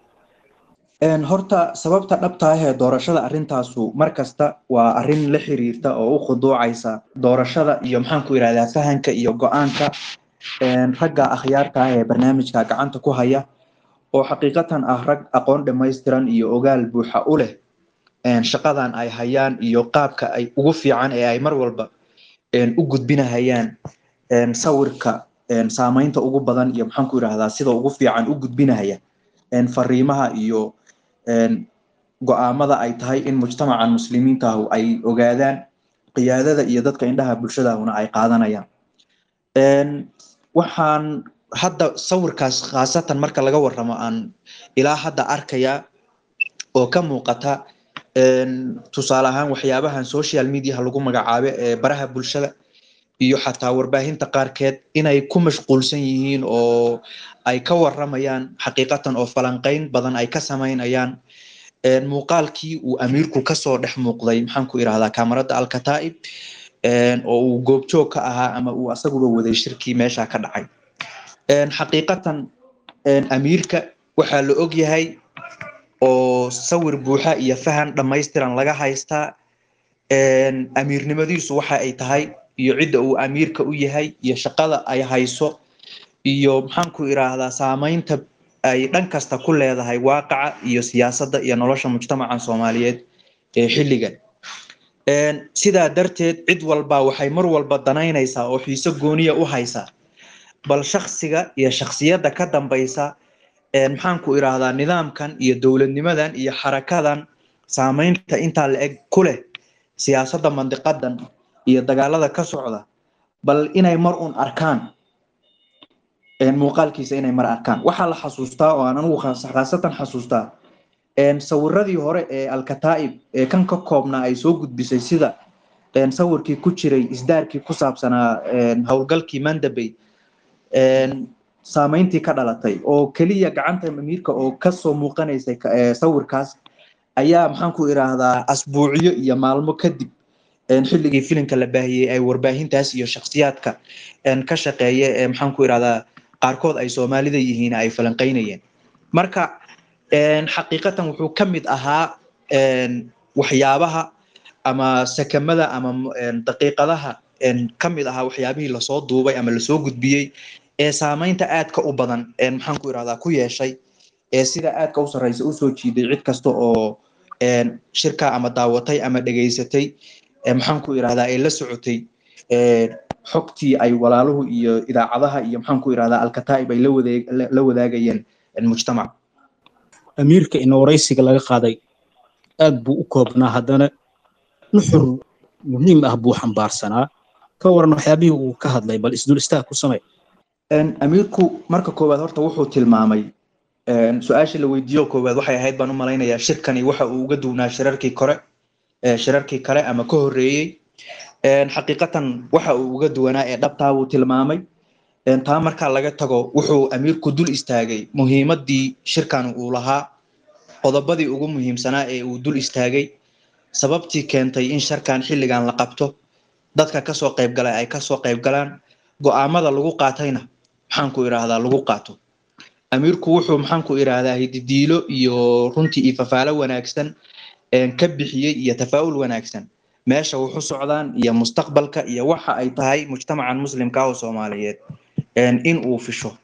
Horta sababta dhabta ah ee doorashada arrintaasu mar kasta waa arrin la xiriirta oo u khuduucaysa doorashada iyo maxaan ku idhahdaa fahanka iyo go-aanka ragga akhyaarta ah ee barnaamijka gacanta ku haya, oo xaqiiqatan ah rag aqoon dhammaystiran iyo ogaal buuxa u leh shaqadan ay hayaan iyo qaabka ay ugu fiican ee ay mar walba u gudbinahayaan sawirka saameynta ugu badan iyo maxaan ku idhahdaa sida ugu fiican u gudbinahaya fariimaha iyo go'aamada ay tahay in mujtamacan muslimiinta ahu ay ogaadaan, qiyaadada iyo dadka indhaha bulshadaahuna ay qaadanayaan. Waxaan hadda sawirkaas khaasatan marka laga warramo aan ilaa hadda arkayaa oo ka muuqata tusaale ahaan waxyaabahan social mediaha lagu magacaabo ee baraha bulshada iyo xataa warbaahinta qaarkeed inay ku mashquulsan yihiin oo ay ka warramayaan xaqiiqatan oo falanqayn badan ay ka samaynayaan muuqaalkii uu amiirku kasoo dhex muuqday maxaan ku idhahdaa kaamarada Alkataib oo uu goobjoog ka ahaa ama uu asaguba waday shirkii meesha ka dhacay. Xaqiiqatan amiirka waxaa la og yahay oo sawir buuxa iyo fahan dhammaystiran laga haystaa amiirnimadiisu waxa ay tahay iyo cidda uu amiirka u yahay iyo shaqada ay hayso iyo maxaan ku idhaahdaa saameynta ay dhan kasta ku leedahay waaqaca iyo siyaasadda iyo nolosha mujtamaca Soomaaliyeed ee xilligan. Sidaa darteed cid walba waxay mar walba danaynaysaa oo xiiso gooniya u haysaa bal shakhsiga iyo shakhsiyadda ka dambaysa maxaan ku idhaahdaa nidaamkan iyo dowladnimadan iyo xarakadan saameynta intaa la eg ku leh siyaasadda mandiqadan iyo dagaalada ka socda, bal inay mar un arkaan muuqaalkiisa, inay mar arkaan. Waxaa la xasuustaa oo aan anigu khaasatan xasuustaa sawiradii hore ee Alkataa'ib ee kan ka koobnaa ay soo gudbisay, sida sawirkii ku jiray isdaarkii ku saabsanaa howlgalkii Mandabey, saameyntii ka dhalatay oo keliya gacanta amiirka oo kasoo muuqanaysay sawirkaas ayaa maxaan ku idhaahdaa asbuucyo iyo maalmo kadib xilligii filimka la baahiyey ay warbaahintaas iyo shakhsiyaadka ka shaqeeya ee maxaan ku idhahdaa qaarkood ay Soomaalida yihiin ay falanqeynayeen. Marka xaqiiqatan wuxuu ka mid ahaa waxyaabaha ama sakamada ama daqiiqadaha ka mid ahaa waxyaabihii lasoo duubay ama lasoo gudbiyey ee saameynta aadka u badan maxaan ku idhahdaa ku yeeshay ee sida aadka u sarreysa usoo jiiday cid kasta oo shirka ama daawatay ama dhegaysatay, maxaan ku idhahdaa ee la socotay xogtii ay walaaluhu iyo idaacadaha iyo maxaan ku idhahdaa Alkataa'ib ay la wadaagayeen mujtamac. Amiirka in waraysiga laga qaaday aad buu u koobnaa, haddana nuxur muhiim ah buu xambaarsanaa. Ka waran waxyaabihii uu ka hadlay, bal isdul istaag ku samey. Amiirku marka koowaad horta wuxuu tilmaamay, su-aasha la weydiiyo koowaad waxay ahayd baan u malaynayaa shirkani waxa uu uga duwnaa shirarkii kore, shirarkii kale ama ka horreeyey. Xaqiiqatan waxa uu uga duwanaa ee dhabtaa buu tilmaamay. Taa markaa laga tago, wuxuu amiirku dul istaagay muhiimaddii shirkan uu lahaa, qodobadii ugu muhiimsanaa ee uu dul istaagay, sababtii keentay in shirkan xilligan la qabto, dadka kasoo qaybgalay ay kasoo qaybgalaan, go'aamada lagu qaatayna maxaan ku idhaahdaa lagu qaato. Amiirku wuxuu maxaan ku idhaahdaa hididiilo iyo runtii iyo fafaalo wanaagsan ka bixiyey iyo tafaa'ul wanaagsan meesha wuxu socdaan iyo mustaqbalka iyo waxa ay tahay mujtamacan muslimka ah oo Soomaaliyeed in uu fisho.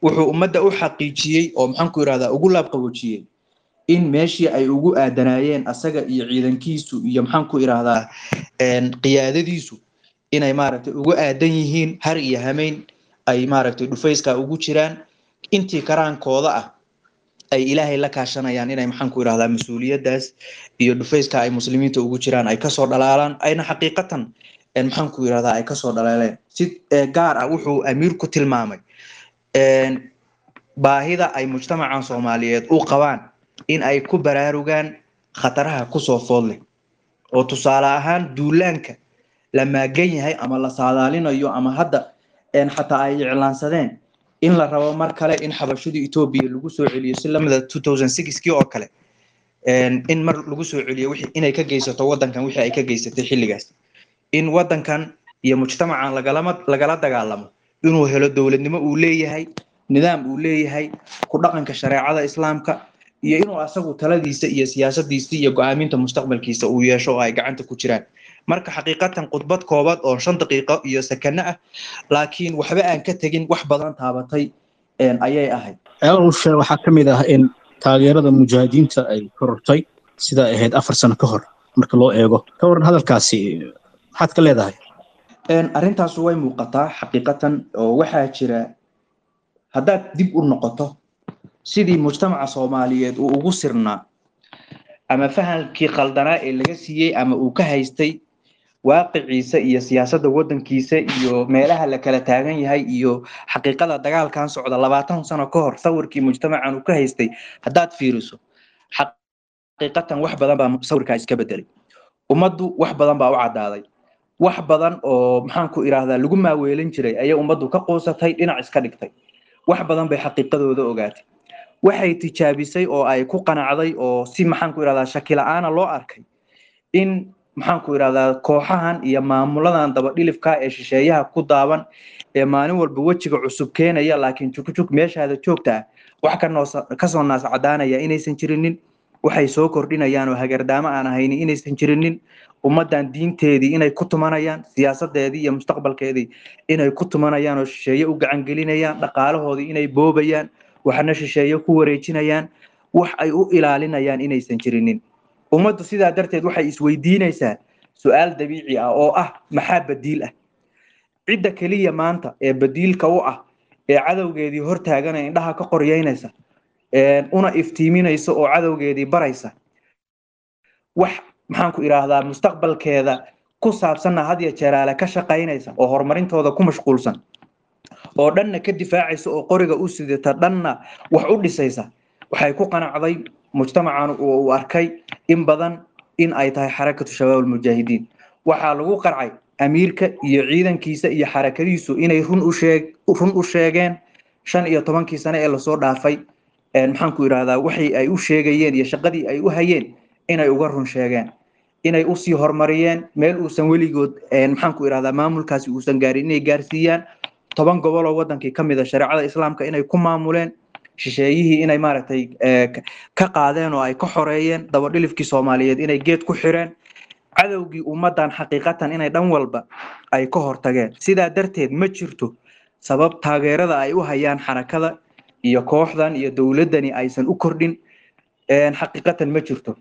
Wuxuu ummadda u xaqiijiyey oo maxaan ku idhahdaa ugu laabqaboojiyey in meeshii ay ugu aadanaayeen asaga iyo ciidankiisu iyo maxaan ku idhaahdaa qiyaadadiisu inay maaragtay ugu aadan yihiin, har iyo hameyn ay maaragtay dhufayska ugu jiraan, intii karaankooda ah ay Ilaahay la kaashanayaan inay maxaan ku idhahdaa mas-uuliyaddaas iyo dhufayska ay muslimiinta ugu jiraan ay kasoo dhalaalaan, ayna xaqiiqatan maxaan ku idhahdaa ay kasoo dhalaaleen. Si gaar ah wuxuu amiirku tilmaamay baahida ay mujtamacan Soomaaliyeed u qabaan in ay ku baraarugaan khataraha kusoo food leh, oo tusaale ahaan duulaanka la maagan yahay ama la saadaalinayo ama hadda xataa ay iclaansadeen in la rabo mar kale in xabashadii Etoobiya lagu soo celiyo si lamida 2006kii oo kale, in mar lagu soo celiyo wixii inay ka geysato wadankan wixii ay ka geysatay xilligaas, in wadankan iyo mujtamacan lagala dagaalamo inuu helo dowladnimo uu leeyahay, nidaam uu leeyahay, ku dhaqanka shareecada islaamka, iyo inuu asagu taladiisa iyo siyaasadiisa iyo go'aaminta mustaqbalkiisa uu yeesho oo ay gacanta ku jiraan. Marka xaqiiqatan khudbad koobaad oo 5 daqiiqo iyo sakano ah, laakiin waxba aan ka tegin, wax badan taabatay ayay ahayd. Ceelasha waxaa ka mid ah in taageerada mujaahidiinta ay korortay sida ay ahayd 4 sano ka hor marka loo eego. Ka waran hadalkaasi, maxaad ka leedahay? Arrintaas way muuqataa xaqiiqatan, oo waxaa jira haddaad dib u noqoto sidii mujtamaca Soomaaliyeed uu ugu sirnaa ama fahamkii khaldanaa ee laga siiyey ama uu ka haystay waaqiciisa iyo siyaasadda waddankiisa iyo meelaha la kala taagan yahay iyo xaqiiqada dagaalkan socda 20 sano ka hor sawirkii mujtamacan uu ka haystay haddaad fiiriso, xaqiiqatan wax badan baa sawirkaa iska bedelay. Ummaddu wax badan baa u caddaaday, wax badan oo maxaan ku idhaahdaa lagu maaweelin jiray ayay ummaddu ka quusatay, dhinac iska dhigtay, wax badan bay xaqiiqadooda ogaatay, waxay tijaabisay oo ay ku qanacday oo si maxaan ku idhahdaa shaki la'aana loo arkay in maxaan ku idhahdaa kooxahan iyo maamuladan dabadhilifka ee shisheeyaha ku daaban ee maalin walba wejiga cusub keenaya, laakiin jugjuг meeshaada joogta ah wax kasoo naas cadaanaya inaysan jirinin, waxay soo kordhinayaan oo hagardaamo aan ahaynin inaysan jirinin, ummaddan diinteedii inay ku tumanayaan, siyaasadeedii iyo mustaqbalkeedii inay ku tumanayaan oo shisheeye u gacan gelinayaan, dhaqaalahoodii inay boobayaan, waxna shisheeye ku wareejinayaan, wax ay u ilaalinayaan inaysan jirinin. Ummaddu sidaa darteed waxay isweydiinaysaa su-aal dabiici ah oo ah maxaa badiil ah. Cidda keliya maanta ee badiilka u ah ee cadowgeedii hortaagana indhaha ka qoryeynaysa, una iftiiminaysa oo cadowgeedii baraysa wax maxaan ku idhaahdaa mustaqbalkeeda ku saabsanna had iyo jeeraale ka shaqaynaysa oo horumarintooda ku mashquulsan oo dhanna ka difaacaysa oo qoriga u sidata dhanna wax u dhisaysa, waxay ku qanacday mujtamacan oo uu arkay in badan in ay tahay Xarakatu Shabaab Almujaahidiin. Waxaa lagu qarcay amiirka iyo ciidankiisa iyo xarakadiisu inay run u sheeg run u sheegeen 15-kii sano ee lasoo dhaafay, maxaan ku idhaahdaa, waxay ay u sheegayeen iyo shaqadii ay u hayeen inay uga run sheegeen, inay usii horumariyeen meel uusan weligood maxaan ku idhahdaa maamulkaasi uusan gaarin inay gaarsiiyaan, 10 gobol oo wadankii ka mid a shareecada islaamka inay ku maamuleen, shisheeyihii inay maaragtay ka qaadeen oo ay ka xoreeyeen, dabadhilifkii Soomaaliyeed inay geed ku xireen, cadowgii ummaddan xaqiiqatan inay dhan walba ay ka hortageen. Sidaa darteed ma jirto sabab taageerada ay u hayaan xarakada iyo kooxdan iyo dowladdani aysan u kordhin, xaqiiqatan ma jirto.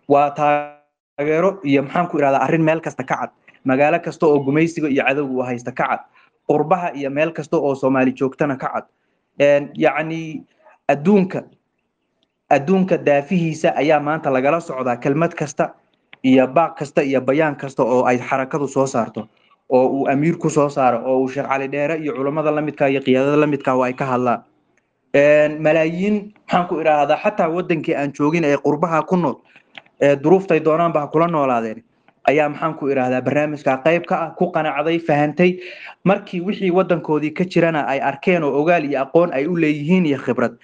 Waa taageero iyo maxaan ku idhahdaa arrin meel kasta ka cad, magaalo kasta oo gumaysiga iyo cadowga uu haysta ka cad, qurbaha iyo meel kasta oo Soomaali joogtana ka cad. Yacni adduunka daafihiisa ayaa maanta lagala socdaa kelmad kasta iyo baaq kasta iyo bayaan kasta oo ay xarakadu soo saarto oo uu amiirku soo saaro oo uu Sheekh Cali Dheere iyo culammada la midka iyo qiyaadada la midka oo ay ka hadlaan. Malaayiin maxaan ku idhaahdaa xataa wadankii aan joogin ee qurbaha ku nool ee duruuftay doonaanba ha kula noolaadeen ayaa maxaan ku idhaahdaa barnaamijka qayb ka ah, ku qanacday, fahantay markii wixii wadankoodii ka jirana ay arkeen oo ogaal iyo aqoon ay u leeyihiin iyo khibrad,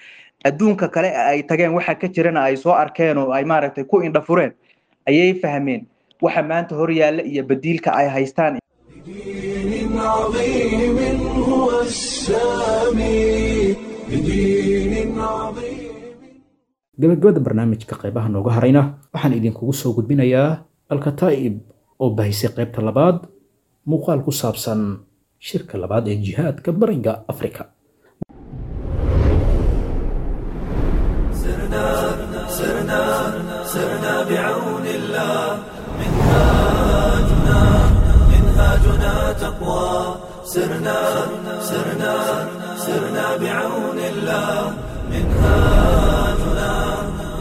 adduunka kale ay tageen waxa ka jirana ay soo arkeen oo ay maaragtay ku indha fureen, ayay fahmeen waxa maanta hor yaalla iyo badiilka ay haystaan. بدين عظيم هو السامي، بدين عظيم. Gabagabada barnaamijka qaybaha nooga harayna waxaan idinkugu soo gudbinayaa Alkataa'ib oo bahisay qaybta labaad muuqaal ku saabsan shirka labaad ee jihaadka Bariga Afrika. سرنا سرنا سرنا بعون الله، منهاجنا منهاجنا تقوى. سرنا سرنا سرنا بعون الله، منهاجنا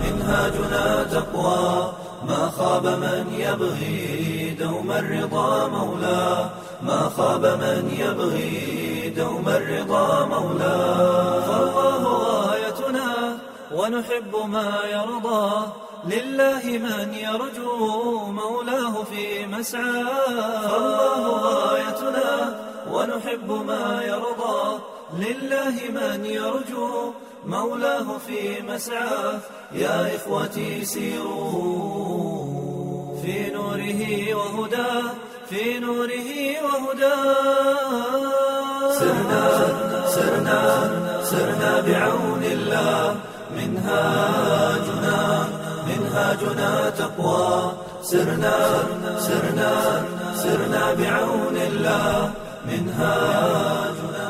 منهاجنا تقوى. ما خاب من يبغي دوم الرضا مولاه، ما خاب من يبغي دوم الرضا مولاه. فالله غايتنا ونحب ما يرضى، لله من يرجو مولاه في مسعى. فالله غايتنا ونحب ما يرضى، لله من يرجو مولاه في مسعى. يا إخوتي سيروا في نوره وهدى، في نوره وهدى. سرنا سرنا سرنا بعون الله، منهاجنا منهاجنا تقوى. سرنا سرنا سرنا بعون الله، منهاجنا.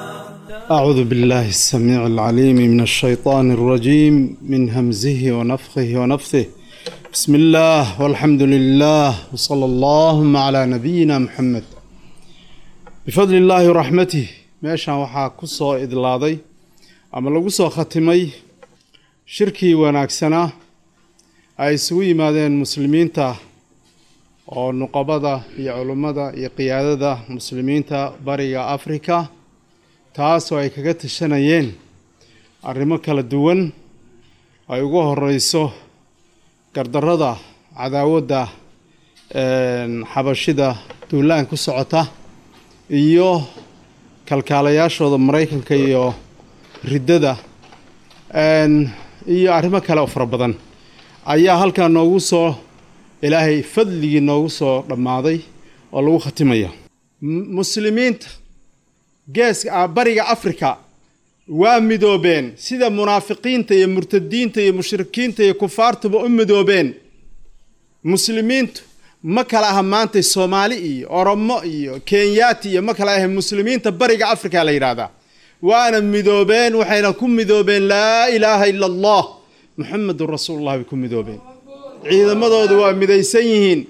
أعوذ بالله السميع العليم من الشيطان الرجيم، من همزه ونفخه ونفثه. بسم الله والحمد لله وصلى اللهم على نبينا محمد. بفضل الله ورحمته meeshaan waxaa ku soo idlaaday ama lagu soo khatimay shirkii wanaagsanaa ay isugu yimaadeen muslimiinta oo nuqabada iyo culummada iyo qiyaadada muslimiinta Bariga Afrika, taasoo ay kaga tashanayeen arrimo kala duwan ay ugu horeyso gardarrada cadaawadda xabashida duulaan ku socota iyo kalkaalayaashooda Maraykanka iyo riddada iyo arrimo kale oo fara badan ayaa halkaa noogu soo Ilaahay fadligii noogu soo dhammaaday oo lagu khatimaya. Muslimiinta geeska Bariga Afrika waa midoobeen sida munaafiqiinta iyo murtadiinta iyo mushrikiinta iyo kufaartuba u midoobeen. Muslimiintu ma kala aha maanta Soomaali iyo Oromo iyo Kenyaati iyo ma kala aha, muslimiinta Bariga Afrika la yidhaahdaa waana midoobeen, waxayna ku midoobeen laa ilaaha ila Allah Muxamedun rasuulullah bay ku midoobeen. Ciidamadoodu waa midaysan yihiin,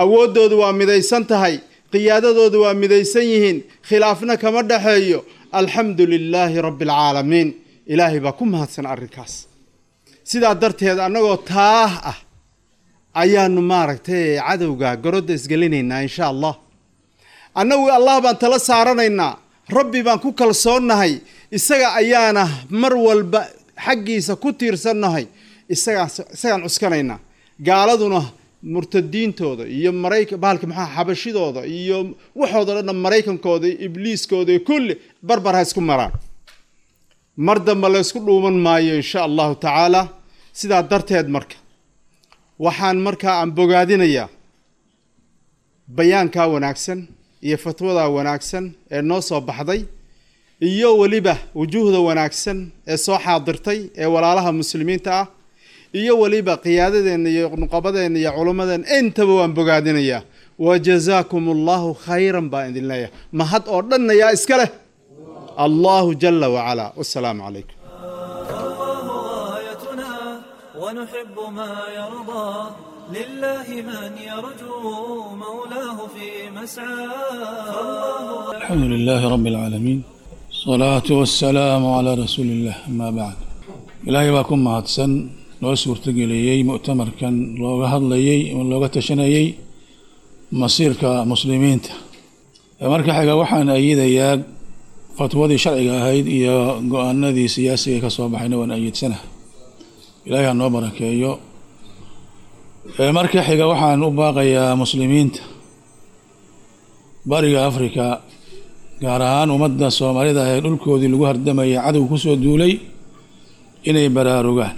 Awooddoodu waa midaysan tahay, qiyaadadoodu waa midaysan yihiin, khilaafna kama dhexeeyo. Alxamdu lilaahi rabbi alcaalamiin, ilaahay baa ku mahadsan arrinkaas. Sidaa darteed annagoo taah ah ayaanu maaragtay cadowga garodda isgelinaynaa insha Allah. Annagu Allah baan tala saaranaynaa, rabbi baan ku kalsoonnahay, isaga ayaana mar walba xaggiisa ku tiirsannahay, isagaan cuskanaynaa. Gaaladuna murtadiintooda iyo maraykan bahalka maxaa xabashidooda iyo waxooda dhanna, maraykankooda iyo ibliiskooda iyo kulli barbar ha isku maraan, mar dambe la ysku dhuuman maayo insha allahu tacaala. Sidaa darteed marka waxaan markaa aan bogaadinayaa bayaankaa wanaagsan iyo fatwadaa wanaagsan ee noo soo baxday, iyo weliba wujuuhda wanaagsan ee soo xaadirtay ee walaalaha muslimiinta ah, iyo weliba qiyaadadeenna iyo nuqabadeenna iyo culummadeenna, intaba waan bogaadinayaa. Wa jazaakum allahu khayran baan idin leeyahay. Mahad oo dhanna yaa iska leh? Allahu jala wacalaa. Wasalaamu calaykum. فالله غايتنا ونحب ما يرضى، لله من يرجو مولاه في مسعى. فالله الحمد لله رب العالمين، الصلاة والسلام على رسول الله، أما بعد. Ilaahay baa ku mahadsan loo suurtageliyey mu'tamarkan looga hadlayey oo looga tashanayey masiirka muslimiinta. Marka xiga waxaan ayidayaa fatwadii sharciga ahayd iyo go-aanadii siyaasiga ka soo baxayna waan ayidsanaha. Ilaahay ha noo barakeeyo. Marka xiga waxaan u baaqayaa muslimiinta bariga Afrika, gaar ahaan ummadda Soomaalida ee dhulkoodii lagu hardamayay cadow kusoo duulay, inay baraarugaan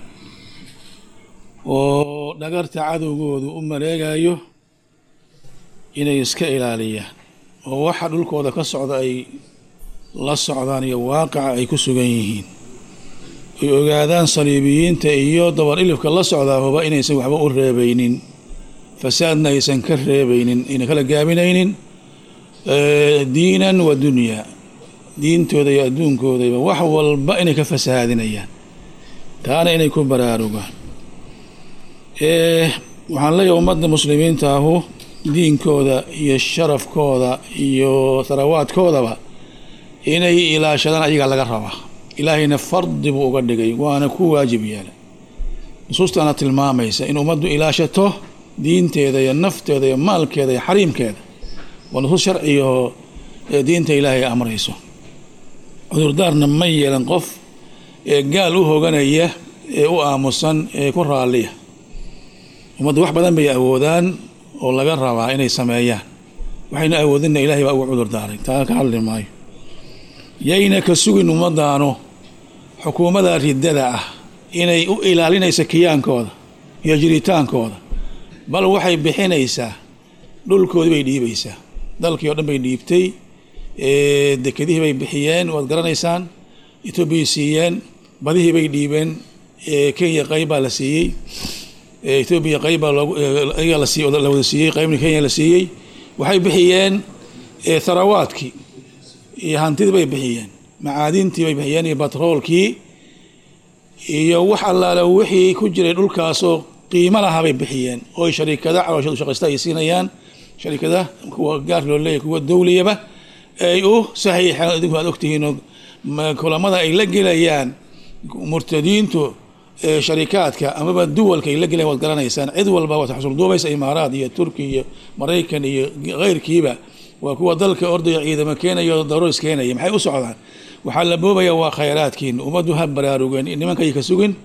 oo dhagarta cadowgoodu u maleegayo inay iska ilaaliyaan, oo waxa dhulkooda ka socda ay la socdaan iyo waaqica ay ku sugan yihiin, ay ogaadaan saliibiyiinta iyo dabar ilifka la socdaababa inaysan waxba u reebaynin, fasaadna aysan ka reebaynin, ayna kala gaabinaynin diinan wa dunyaa, diintooda iyo adduunkoodaba wax walba inay ka fasahaadinayaan, taana inay ku baraarugaan. Waxaan leeyahay ummadda muslimiinta ahu diinkooda iyo sharafkooda iyo tharawaadkoodaba inay ilaashadaan ayagaa laga rabaa. Ilaahayna fardi buu uga dhigay, waana ku waajib yeelay. Nusuustaana tilmaamaysa in ummaddu ilaashato diinteeda iyo nafteeda iyo maalkeeda iyo xariimkeeda. Waa nusuus sharciga oo diinta Ilaahay amrayso. Cudurdaarna ma yeelan qof ee gaal u hoganaya ee u aamusan ee ku raalliya. Ummaddu wax badan bay awoodaan oo laga rabaa inay sameeyaan, waxayna awoodinna Ilahay baa ugu cudurdaaray, taa ka hadli maayo. Yayna ka sugin ummaddaanu xukuumadda riddada ah inay u ilaalinayso kiyaankooda iyo jiritaankooda, bal waxay bixinaysaa dhulkoodii bay dhiibaysaa, dalkii oo dhan bay dhiibtay, dekedihii bay bixiyeen, waad garanaysaan, Etoobiyay siiyeen, badihii bay dhiibeen, Kenya qayb baa la siiyey, Etoobiya qayb baa loogu ayaga la siiyey, la wada siiyey, qaybna Kenya la siiyey. Waxay bixiyeen tharawaadkii iyo hantidii bay bixiyeen, macaadintii bay bixiyeen iyo batroolkii iyo wax allaale wixii ku jiray dhulkaasoo qiimo lahaa bay bixiyeen, oo sharikada calooshadu shaqaysta ay siinayaan, sharikada kuwa gaar loo leeyahay, kuwa dawliyaba ay u saxiixeen. Idinku aad ogtihiin oo kulamada ay la gelayaan murtadiintu sharikaadka amaba duwalka ay la gelayaan waad garanaysaan. Cid walba waad xusul duubaysa, Imaaraad iyo Turki iyo Maraykan iyo keyrkiiba waa kuwa dalka ordaya, ciidamo keenaya oo daroos keenaya. Maxay u socdaan? Waxaa la boobaya waa khayraadkiin. Ummaddu ha baraarugeen, nimankay ka sugin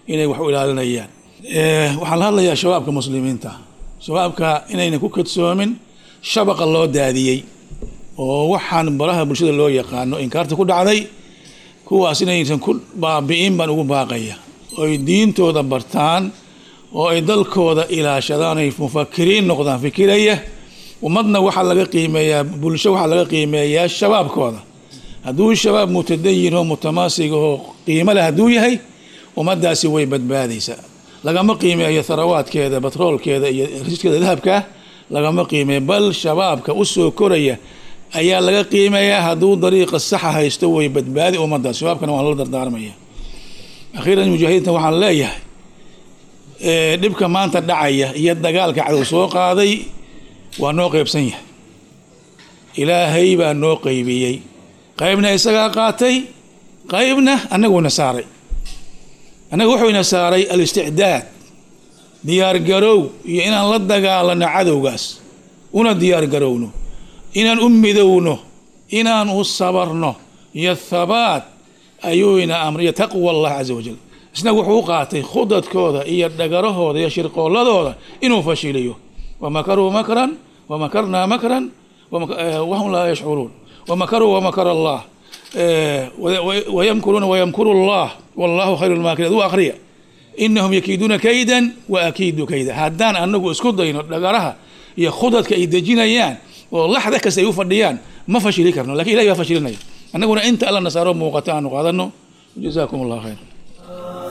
inay wax u ilaalinayaan. Waxaan la hadlayaa shabaabka muslimiinta, shabaabka inayna ku kadsoomin shabaqa loo daadiyey oo waxaan baraha bulshada loo yaqaano inkaarta ku dhacday. Kuwaas inaysan ku baabi'in baan ugu baaqaya, oy diintooda bartaan oo ay dalkooda ilaashadaan, ay mufakiriin noqdaan fikiraya. Ummadna waxaa laga qiimeeyaa, bulsho waxaa laga qiimeeyaa shabaabkooda. Hadduu shabaab mutadayin oo mutamaasig oo qiimo leh hadduu yahay, ummaddaasi way badbaadaysaa. Lagama qiimeeyo tharawaadkeeda, batroolkeeda iyo risiidkeeda dahabka lagama qiimeeyo, bal shabaabka usoo koraya ayaa laga qiimeeyaa. Hadduu dariiqa saxa haysto, way badbaadi ummaddaas. Shabaabkana waan la dardaarmaya. Akhiiran, mujaahidiinta waxaan leeyahay dhibka maanta dhacaya iyo dagaalka cadow soo qaaday Waa noo qeybsan yahay, Ilaahay baa noo qeybiyey. Qaybna isagaa qaatay, qaybna annaguna saaray. Annaga wuxuu ina saaray alisticdaad, diyaargarow, iyo inaan la dagaalano cadowgaas, una diyaargarowno, inaan u midowno, inaan u sabarno, iyo thabaat ayuu ina amriya, taqwa Allah caza wajal. Isna wuxuu u qaatay khudadkooda iyo dhagarahooda iyo shirqooladooda inuu fashiliyo. Wamakaruu makran wamakarnaa makran wahum laa yashcuruun, wamakaruu wamakara Allah, wayamkuruuna wayamkuru Allah, wallahu khayru lmaakiriin. Aduu akhriya, inahum yakiiduuna kaydan wa akiidu kayda. Haddaan anagu isku dayno dhagaraha iyo khudadka ay dejinayaan oo laxda kasta ay u fadhiyaan, ma fashili karno, lakin Ilahi baa fashilinaya. Annaguna inta Alla nasaaro muuqata aanu qaadano. Jazaakum Allah khayr.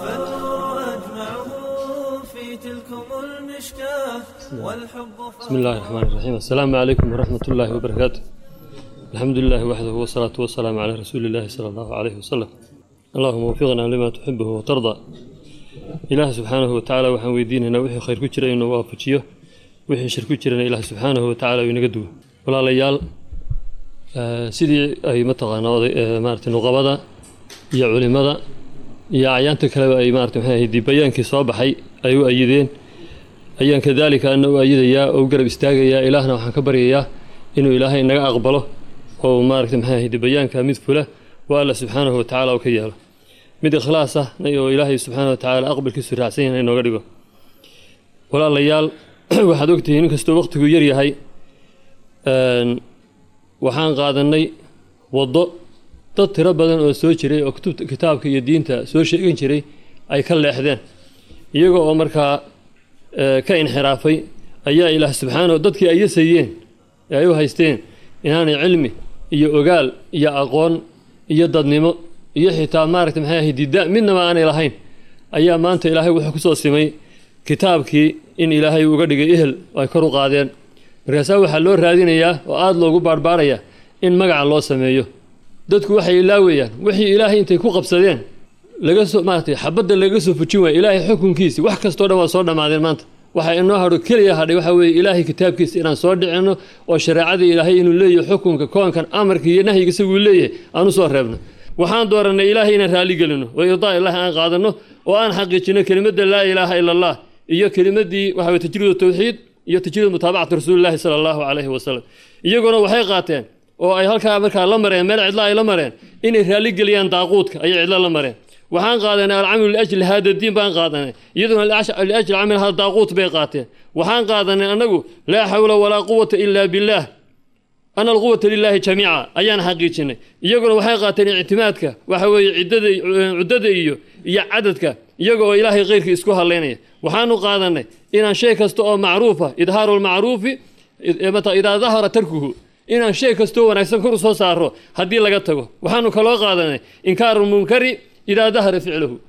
فالنور أجمعه في تلكم المشكاة والحب. بسم الله الرحمن الرحيم. السلام عليكم ورحمة الله وبركاته. الحمد لله وحده، والصلاة والسلام على رسول الله صلى الله عليه وسلم. اللهم وفقنا لما تحبه وترضى. Ilaah subxaanahu watacaala waxaan weydiinaynaa wixii khayr ku jira inuu waafajiyo, wixii shir ku jirana Ilaah subxaanahu watacaala uu inaga duwo. Walaalayaal, sidii ay mataqaanaa oday maaragtay nuqabada iyo culimada iyo acyaanta kaleba ay maaragtay maxay ahayd bayaankii soo baxay ay u ayideen, ayaan kadaalika ana u ayidayaa oo u garab istaagayaa. Ilaahna waxaan ka baryayaa inuu Ilaahay inaga aqbalo oo maaragtay maxay ahayd bayaanka mid fula oo Alla subxaanahu watacaala uu ka yeelo, mid ikhlaas ah oo Ilaahay subxaanahu watacaala aqbalkiisu raacsan yahay inooga dhigo. Walaalayaal, waxaad ogtihiin inkastoo waqtigu yar yahay, waxaan qaadanay waddo dad tiro badan oo soo jiray oo kutubta kitaabka iyo diinta soo sheegan jiray ay ka leexdeen, iyaga oo markaa ka inxiraafay. Ayaa Ilaah subxaanahu dadkii ay yasayeen ee ay u haysteen inaanay cilmi iyo ogaal iyo aqoon iyo dadnimo iyo xitaa maaragtay maxay ahayd dida midnaba aanay lahayn, ayaa maanta Ilaahay wuxuu kusoo simay kitaabkii in Ilaahay uga dhigay ehel oo ay kor u qaadeen. Markaasaa waxaa loo raadinayaa oo aada loogu baarbaarayaa in magaca loo sameeyo. Dadku waxay ilaawayaan wixii Ilaahay intay ku qabsadeen laga soo maaragtay xabadda laga soo fujin waaya Ilaahay xukunkiisi. Wax kastoo dhan waa soo dhammaadeen. Maanta waxa inoo hadho keliya hadhay waxaa weeye Ilaahay kitaabkiisa inaan soo dhicinno oo shareecadii Ilaahay inuu leeyahay xukunka koonkan, amarka iyo nahyiga isaguu leeyahay aan u soo reebno. Waxaan doorannay Ilaahay inaan raali gelino oo irdaa Ilaahi aan qaadanno oo aan xaqiijino kelimadda laa ilaaha ila Allah iyo kelimaddii waxa weye tajriid tawxiid iyo tajriid mutaabacati rasuulillahi sala Allahu calayhi wasalam. Iyaguna waxay qaateen oo ay halkaa markaa la mareen meel cidla ay la mareen inay raali geliyaan daaquudka ayay cidla la mareen. Waxaan qaadanay alcamalu liajli hada diin baan qaadanay, iyaduna liajli camal hada daaquut bay qaateen. Waxaan qaadanay annagu laa xawla walaa quwata ila billaah, ana alquwata lilaahi jamiica ayaan xaqiijinay. Iyaguna waxay qaateen ictimaadka waxa weeye ciddada, cuddada iyo cadadka, iyaga oo Ilaahay khayrkii isku halaynaya. Waxaanu qaadanay inaan shay kasta oo macruufa idhaaru lmacruufi mata idaa dahara tarkuhu, inaan shay kastoo wanaagsan kor u soo saaro haddii laga tago. Waxaanu kaloo qaadanay inkaaru lmunkari idaa dahara ficluhu,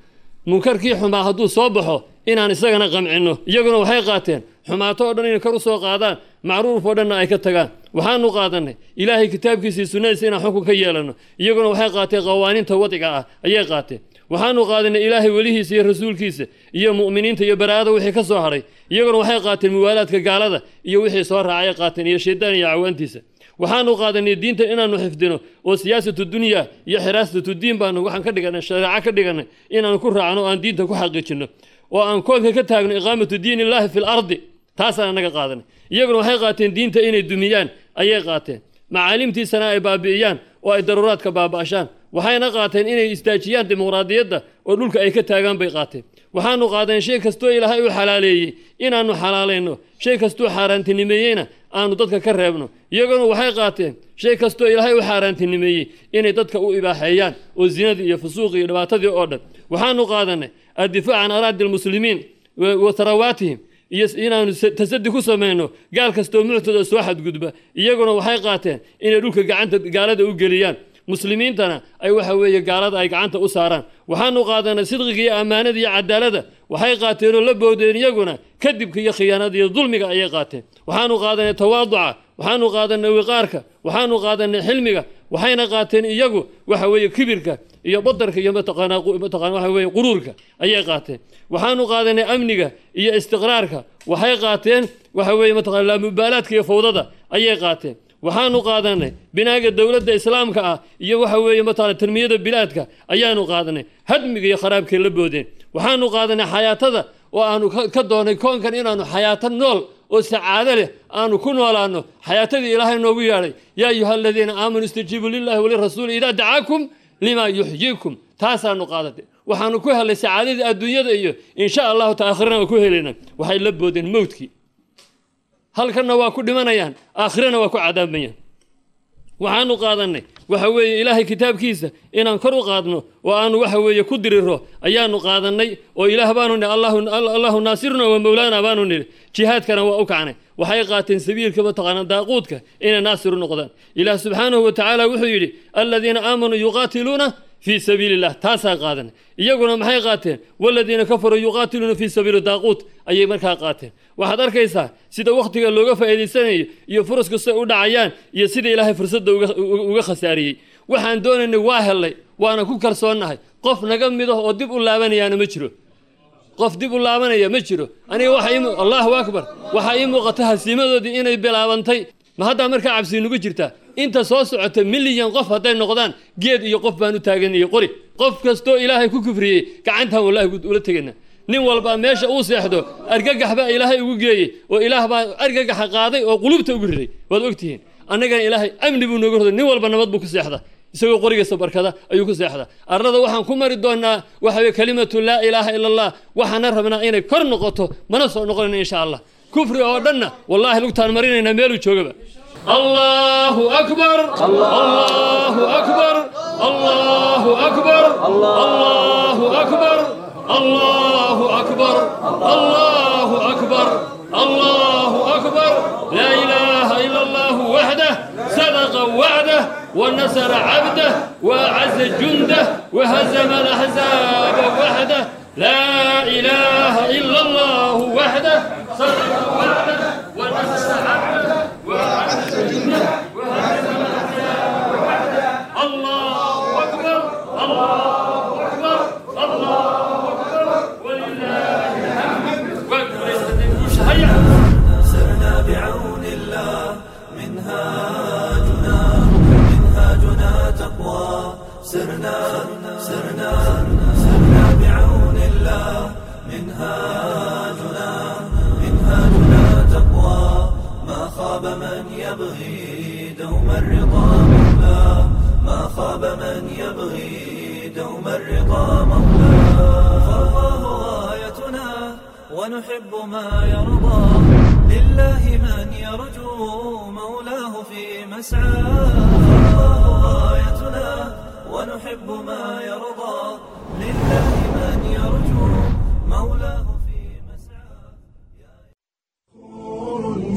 munkarkii xumaa hadduu soo baxo inaan isagana qamcinno. Iyaguna waxay qaateen xumaato oo dhan inay kor u soo qaadaan, macruuf oo dhanna ay ka tagaan. Waxaanu qaadanay Ilaahay kitaabkiisa iyo sunnadiisa inaan xukun ka yeelanno, iyaguna waxay qaateen qawaaniinta wadciga ah ayay qaateen. Waxaanu qaadanay Ilaahay welihiisa iyo rasuulkiisa iyo mu'miniinta iyo baraa'ada wixii ka soo hadhay, iyaguna waxay qaateen muwaalaadka gaalada iyo wixii soo raacay qaateen iyo shaydaan iyo cawaantiisa. Waxaanu qaadanay diintan inaanu xifdino oo siyaasatu dunya iyo xiraasatu diin baanu waxaan ka dhiganay shareeco ka dhiganay inaanu ku raacno oo aan diinta ku xaqiijino oo aan koonka ka taagno iqaamatu diin illaahi fi lardi, taasaan anaga qaadanay. Iyaguna waxay qaateen diinta inay dumiyaan ayay qaateen, macaalimtiisana ay baabi'iyaan oo ay daruuraadka baaba'ashaan. Waxayna qaateen inay istaajiyaan dimuqraadiyadda oo dhulka ay ka taagaan bay qaateen. Waxaanu qaadanay shay kastoo Ilaahay u xalaaleeyey inaannu xalaalayno, shay kastuu xaaraantinimeeyeyna aanu dadka ka reebno. Iyaguna waxay qaateen shay kastoo Ilaahay u xaaraantinimeeyey inay dadka u ibaaxeeyaan oo zinadii iyo fusuuqii iyo dhibaatadii oo dhan. Waxaanu qaadanay addifaac can araadi almuslimiin wa tharawaatihim iyo inaanu tasadi ku samayno gaal kastoo muctada soo xadgudba. Iyaguna waxay qaateen inay dhulka gacanta gaalada u geliyaan, muslimiintana ay waxa weeye gaalada ay gacanta u saaraan. Waxaanu qaadanay sidqiga iyo ammaanada iyo cadaalada, waxay qaateenoo la boodeen iyaguna kadibka iyo khiyaanada iyo dulmiga ayay qaateen. Waxaanu qaadanay tawaaduca, waxaanu qaadanay wiqaarka, waxaanu qaadanay xilmiga, waxayna qaateen iyagu waxa weeye kibirka iyo badarka iyo mataqaanaa waxa weeye quruurka ayay qaateen. Waxaanu qaadanay amniga iyo istiqraarka, waxay qaateen waxa weeye mataqaanaa laamubaalaadka iyo fawdada ayay qaateen. Waxaanu qaadanay binaaga dowladda islaamka ah iyo waxa weeye mataqaanaa tanmiyada bilaadka ayaanu qaadanay, hadmiga iyo kharaabkay la boodeen. Waxaanu qaadanay xayaatada oo aanu ka doonay koonkan inaanu xayaato nool oo sacaado leh aanu ku noolaano, xayaatadii ilaahay noogu yeedhay, yaa ayuha aladiina aamanuu istajiibuu lillahi walirasuuli idaa dacaakum limaa yuxyiikum, taasaanu qaadatay. Waxaanu ku helay sacaadadii adduunyada iyo insha allahu ta aakhirana waa ku helayna. Waxay la boodeen mowdkii, halkanna waa ku dhimanayaan, aakhirana waa ku cadaabayaan. Waxaanu qaadanay waxa weeye ilaahay kitaabkiisa inaan kor u qaadno oo aanu waxa weeye ku diriro ayaanu qaadanay, oo ilaah baanu nidhi allahu naasiruna wa mawlaana baanu nidhi, jihaadkana waa u kacnay. Waxay qaateen sabiilka mataqaanaa daaquudka inay naasir u noqdaan. Ilaah subxaanahu wa tacaala wuxuu yidhi aladiina aamanuu yuqaatiluuna fii sabiili illah, taasaa qaadanay. Iyaguna maxay qaateen? Waladiina kafaruu yuqaatiluuna fii sabiili daaquut ayay markaa qaateen. Waxaad arkaysaa sida wakhtiga looga faa'iidaysanayo iyo furas kastay u dhacayaan iyo sida ilaahay fursadda uga khasaariyey. Waxaan doonaynay waa helnay, waana ku kalsoonnahay. Qof naga mid ah oo dib u laabanayaana ma jiro, qof dib u laabanaya ma jiro. Aniga waxa allahu akbar, waxaa ii muuqata hasiimadoodii inay bilaabantay. Ma haddaa markaa cabsi nugu jirtaa? Inta soo socota milyan qof hadday noqdaan, geed iyo qof baan u taagan iyo qori. Qof kastoo ilaahay ku kufriyey gacantaan wallahi ula tegayna. Nin walba meesha uu seexdo argagax baa ilaahay ugu geeyey, oo ilaah baa argagaxa qaaday oo qulubta ugu riday. Waad ogtihiin annagana ilaahay amni buu nooga roday, nin walba nabad buu ku seexdaa, isagoo qorigiisa barkada ayuu ku seexdaa. Arlada waxaan ku mari doonaa waxa weye kalimatu laa ilaaha ila allah, waxaana rabnaa inay kor noqoto, mana soo noqonayna insha allah. Kufri oo dhanna wallaahi lugtaan marinaynaa meeluu joogaba. Allahu akbar, allahu akbar, allahu akbar, allahu akbar, allahu akbar, allahu akbar, allahu akbar, laa ilaaha ila allahu waxdah, sadaqa wacdah ونصر عبده وأعز جنده وهزم الأحزاب وحده، لا إله إلا الله وحده، صدق وعده ونصر عبده وأعز جنده وهزم الأحزاب وحده. الله أكبر، الله أكبر، الله أكبر، ولله الحمد. سرنا بعون الله منهاجنا تقوى، سرنا سرنا سرنا بعون الله منهاجنا منهاجنا تقوى، ما خاب من يبغي دوم الرضا مولاه، ما خاب من يبغي دوم الرضا مولاه. فالله غايتنا ونحب ما يرضى، لله من يرجو مولاه في مسعاه. فالله غايتنا ونحب ما يرضى، لله من يرجو مولاه في مسعاه.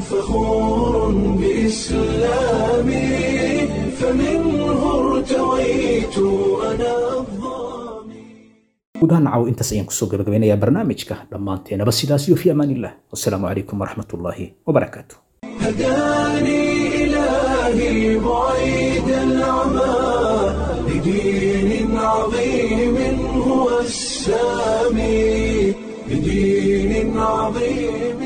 فخور بإسلامي فمنه ارتويت أنا Guud ahaan caaw intaas ayaan kusoo gabagabeynayaa barnaamijka dhammaanteenaba. Sidaas iyo fi amaan illah, wassalaamu calaykum waraxmatullaahi wabarakaatu. هداني إلهي بعيد العمى لدين عظيم هو السامي، لدين عظيم.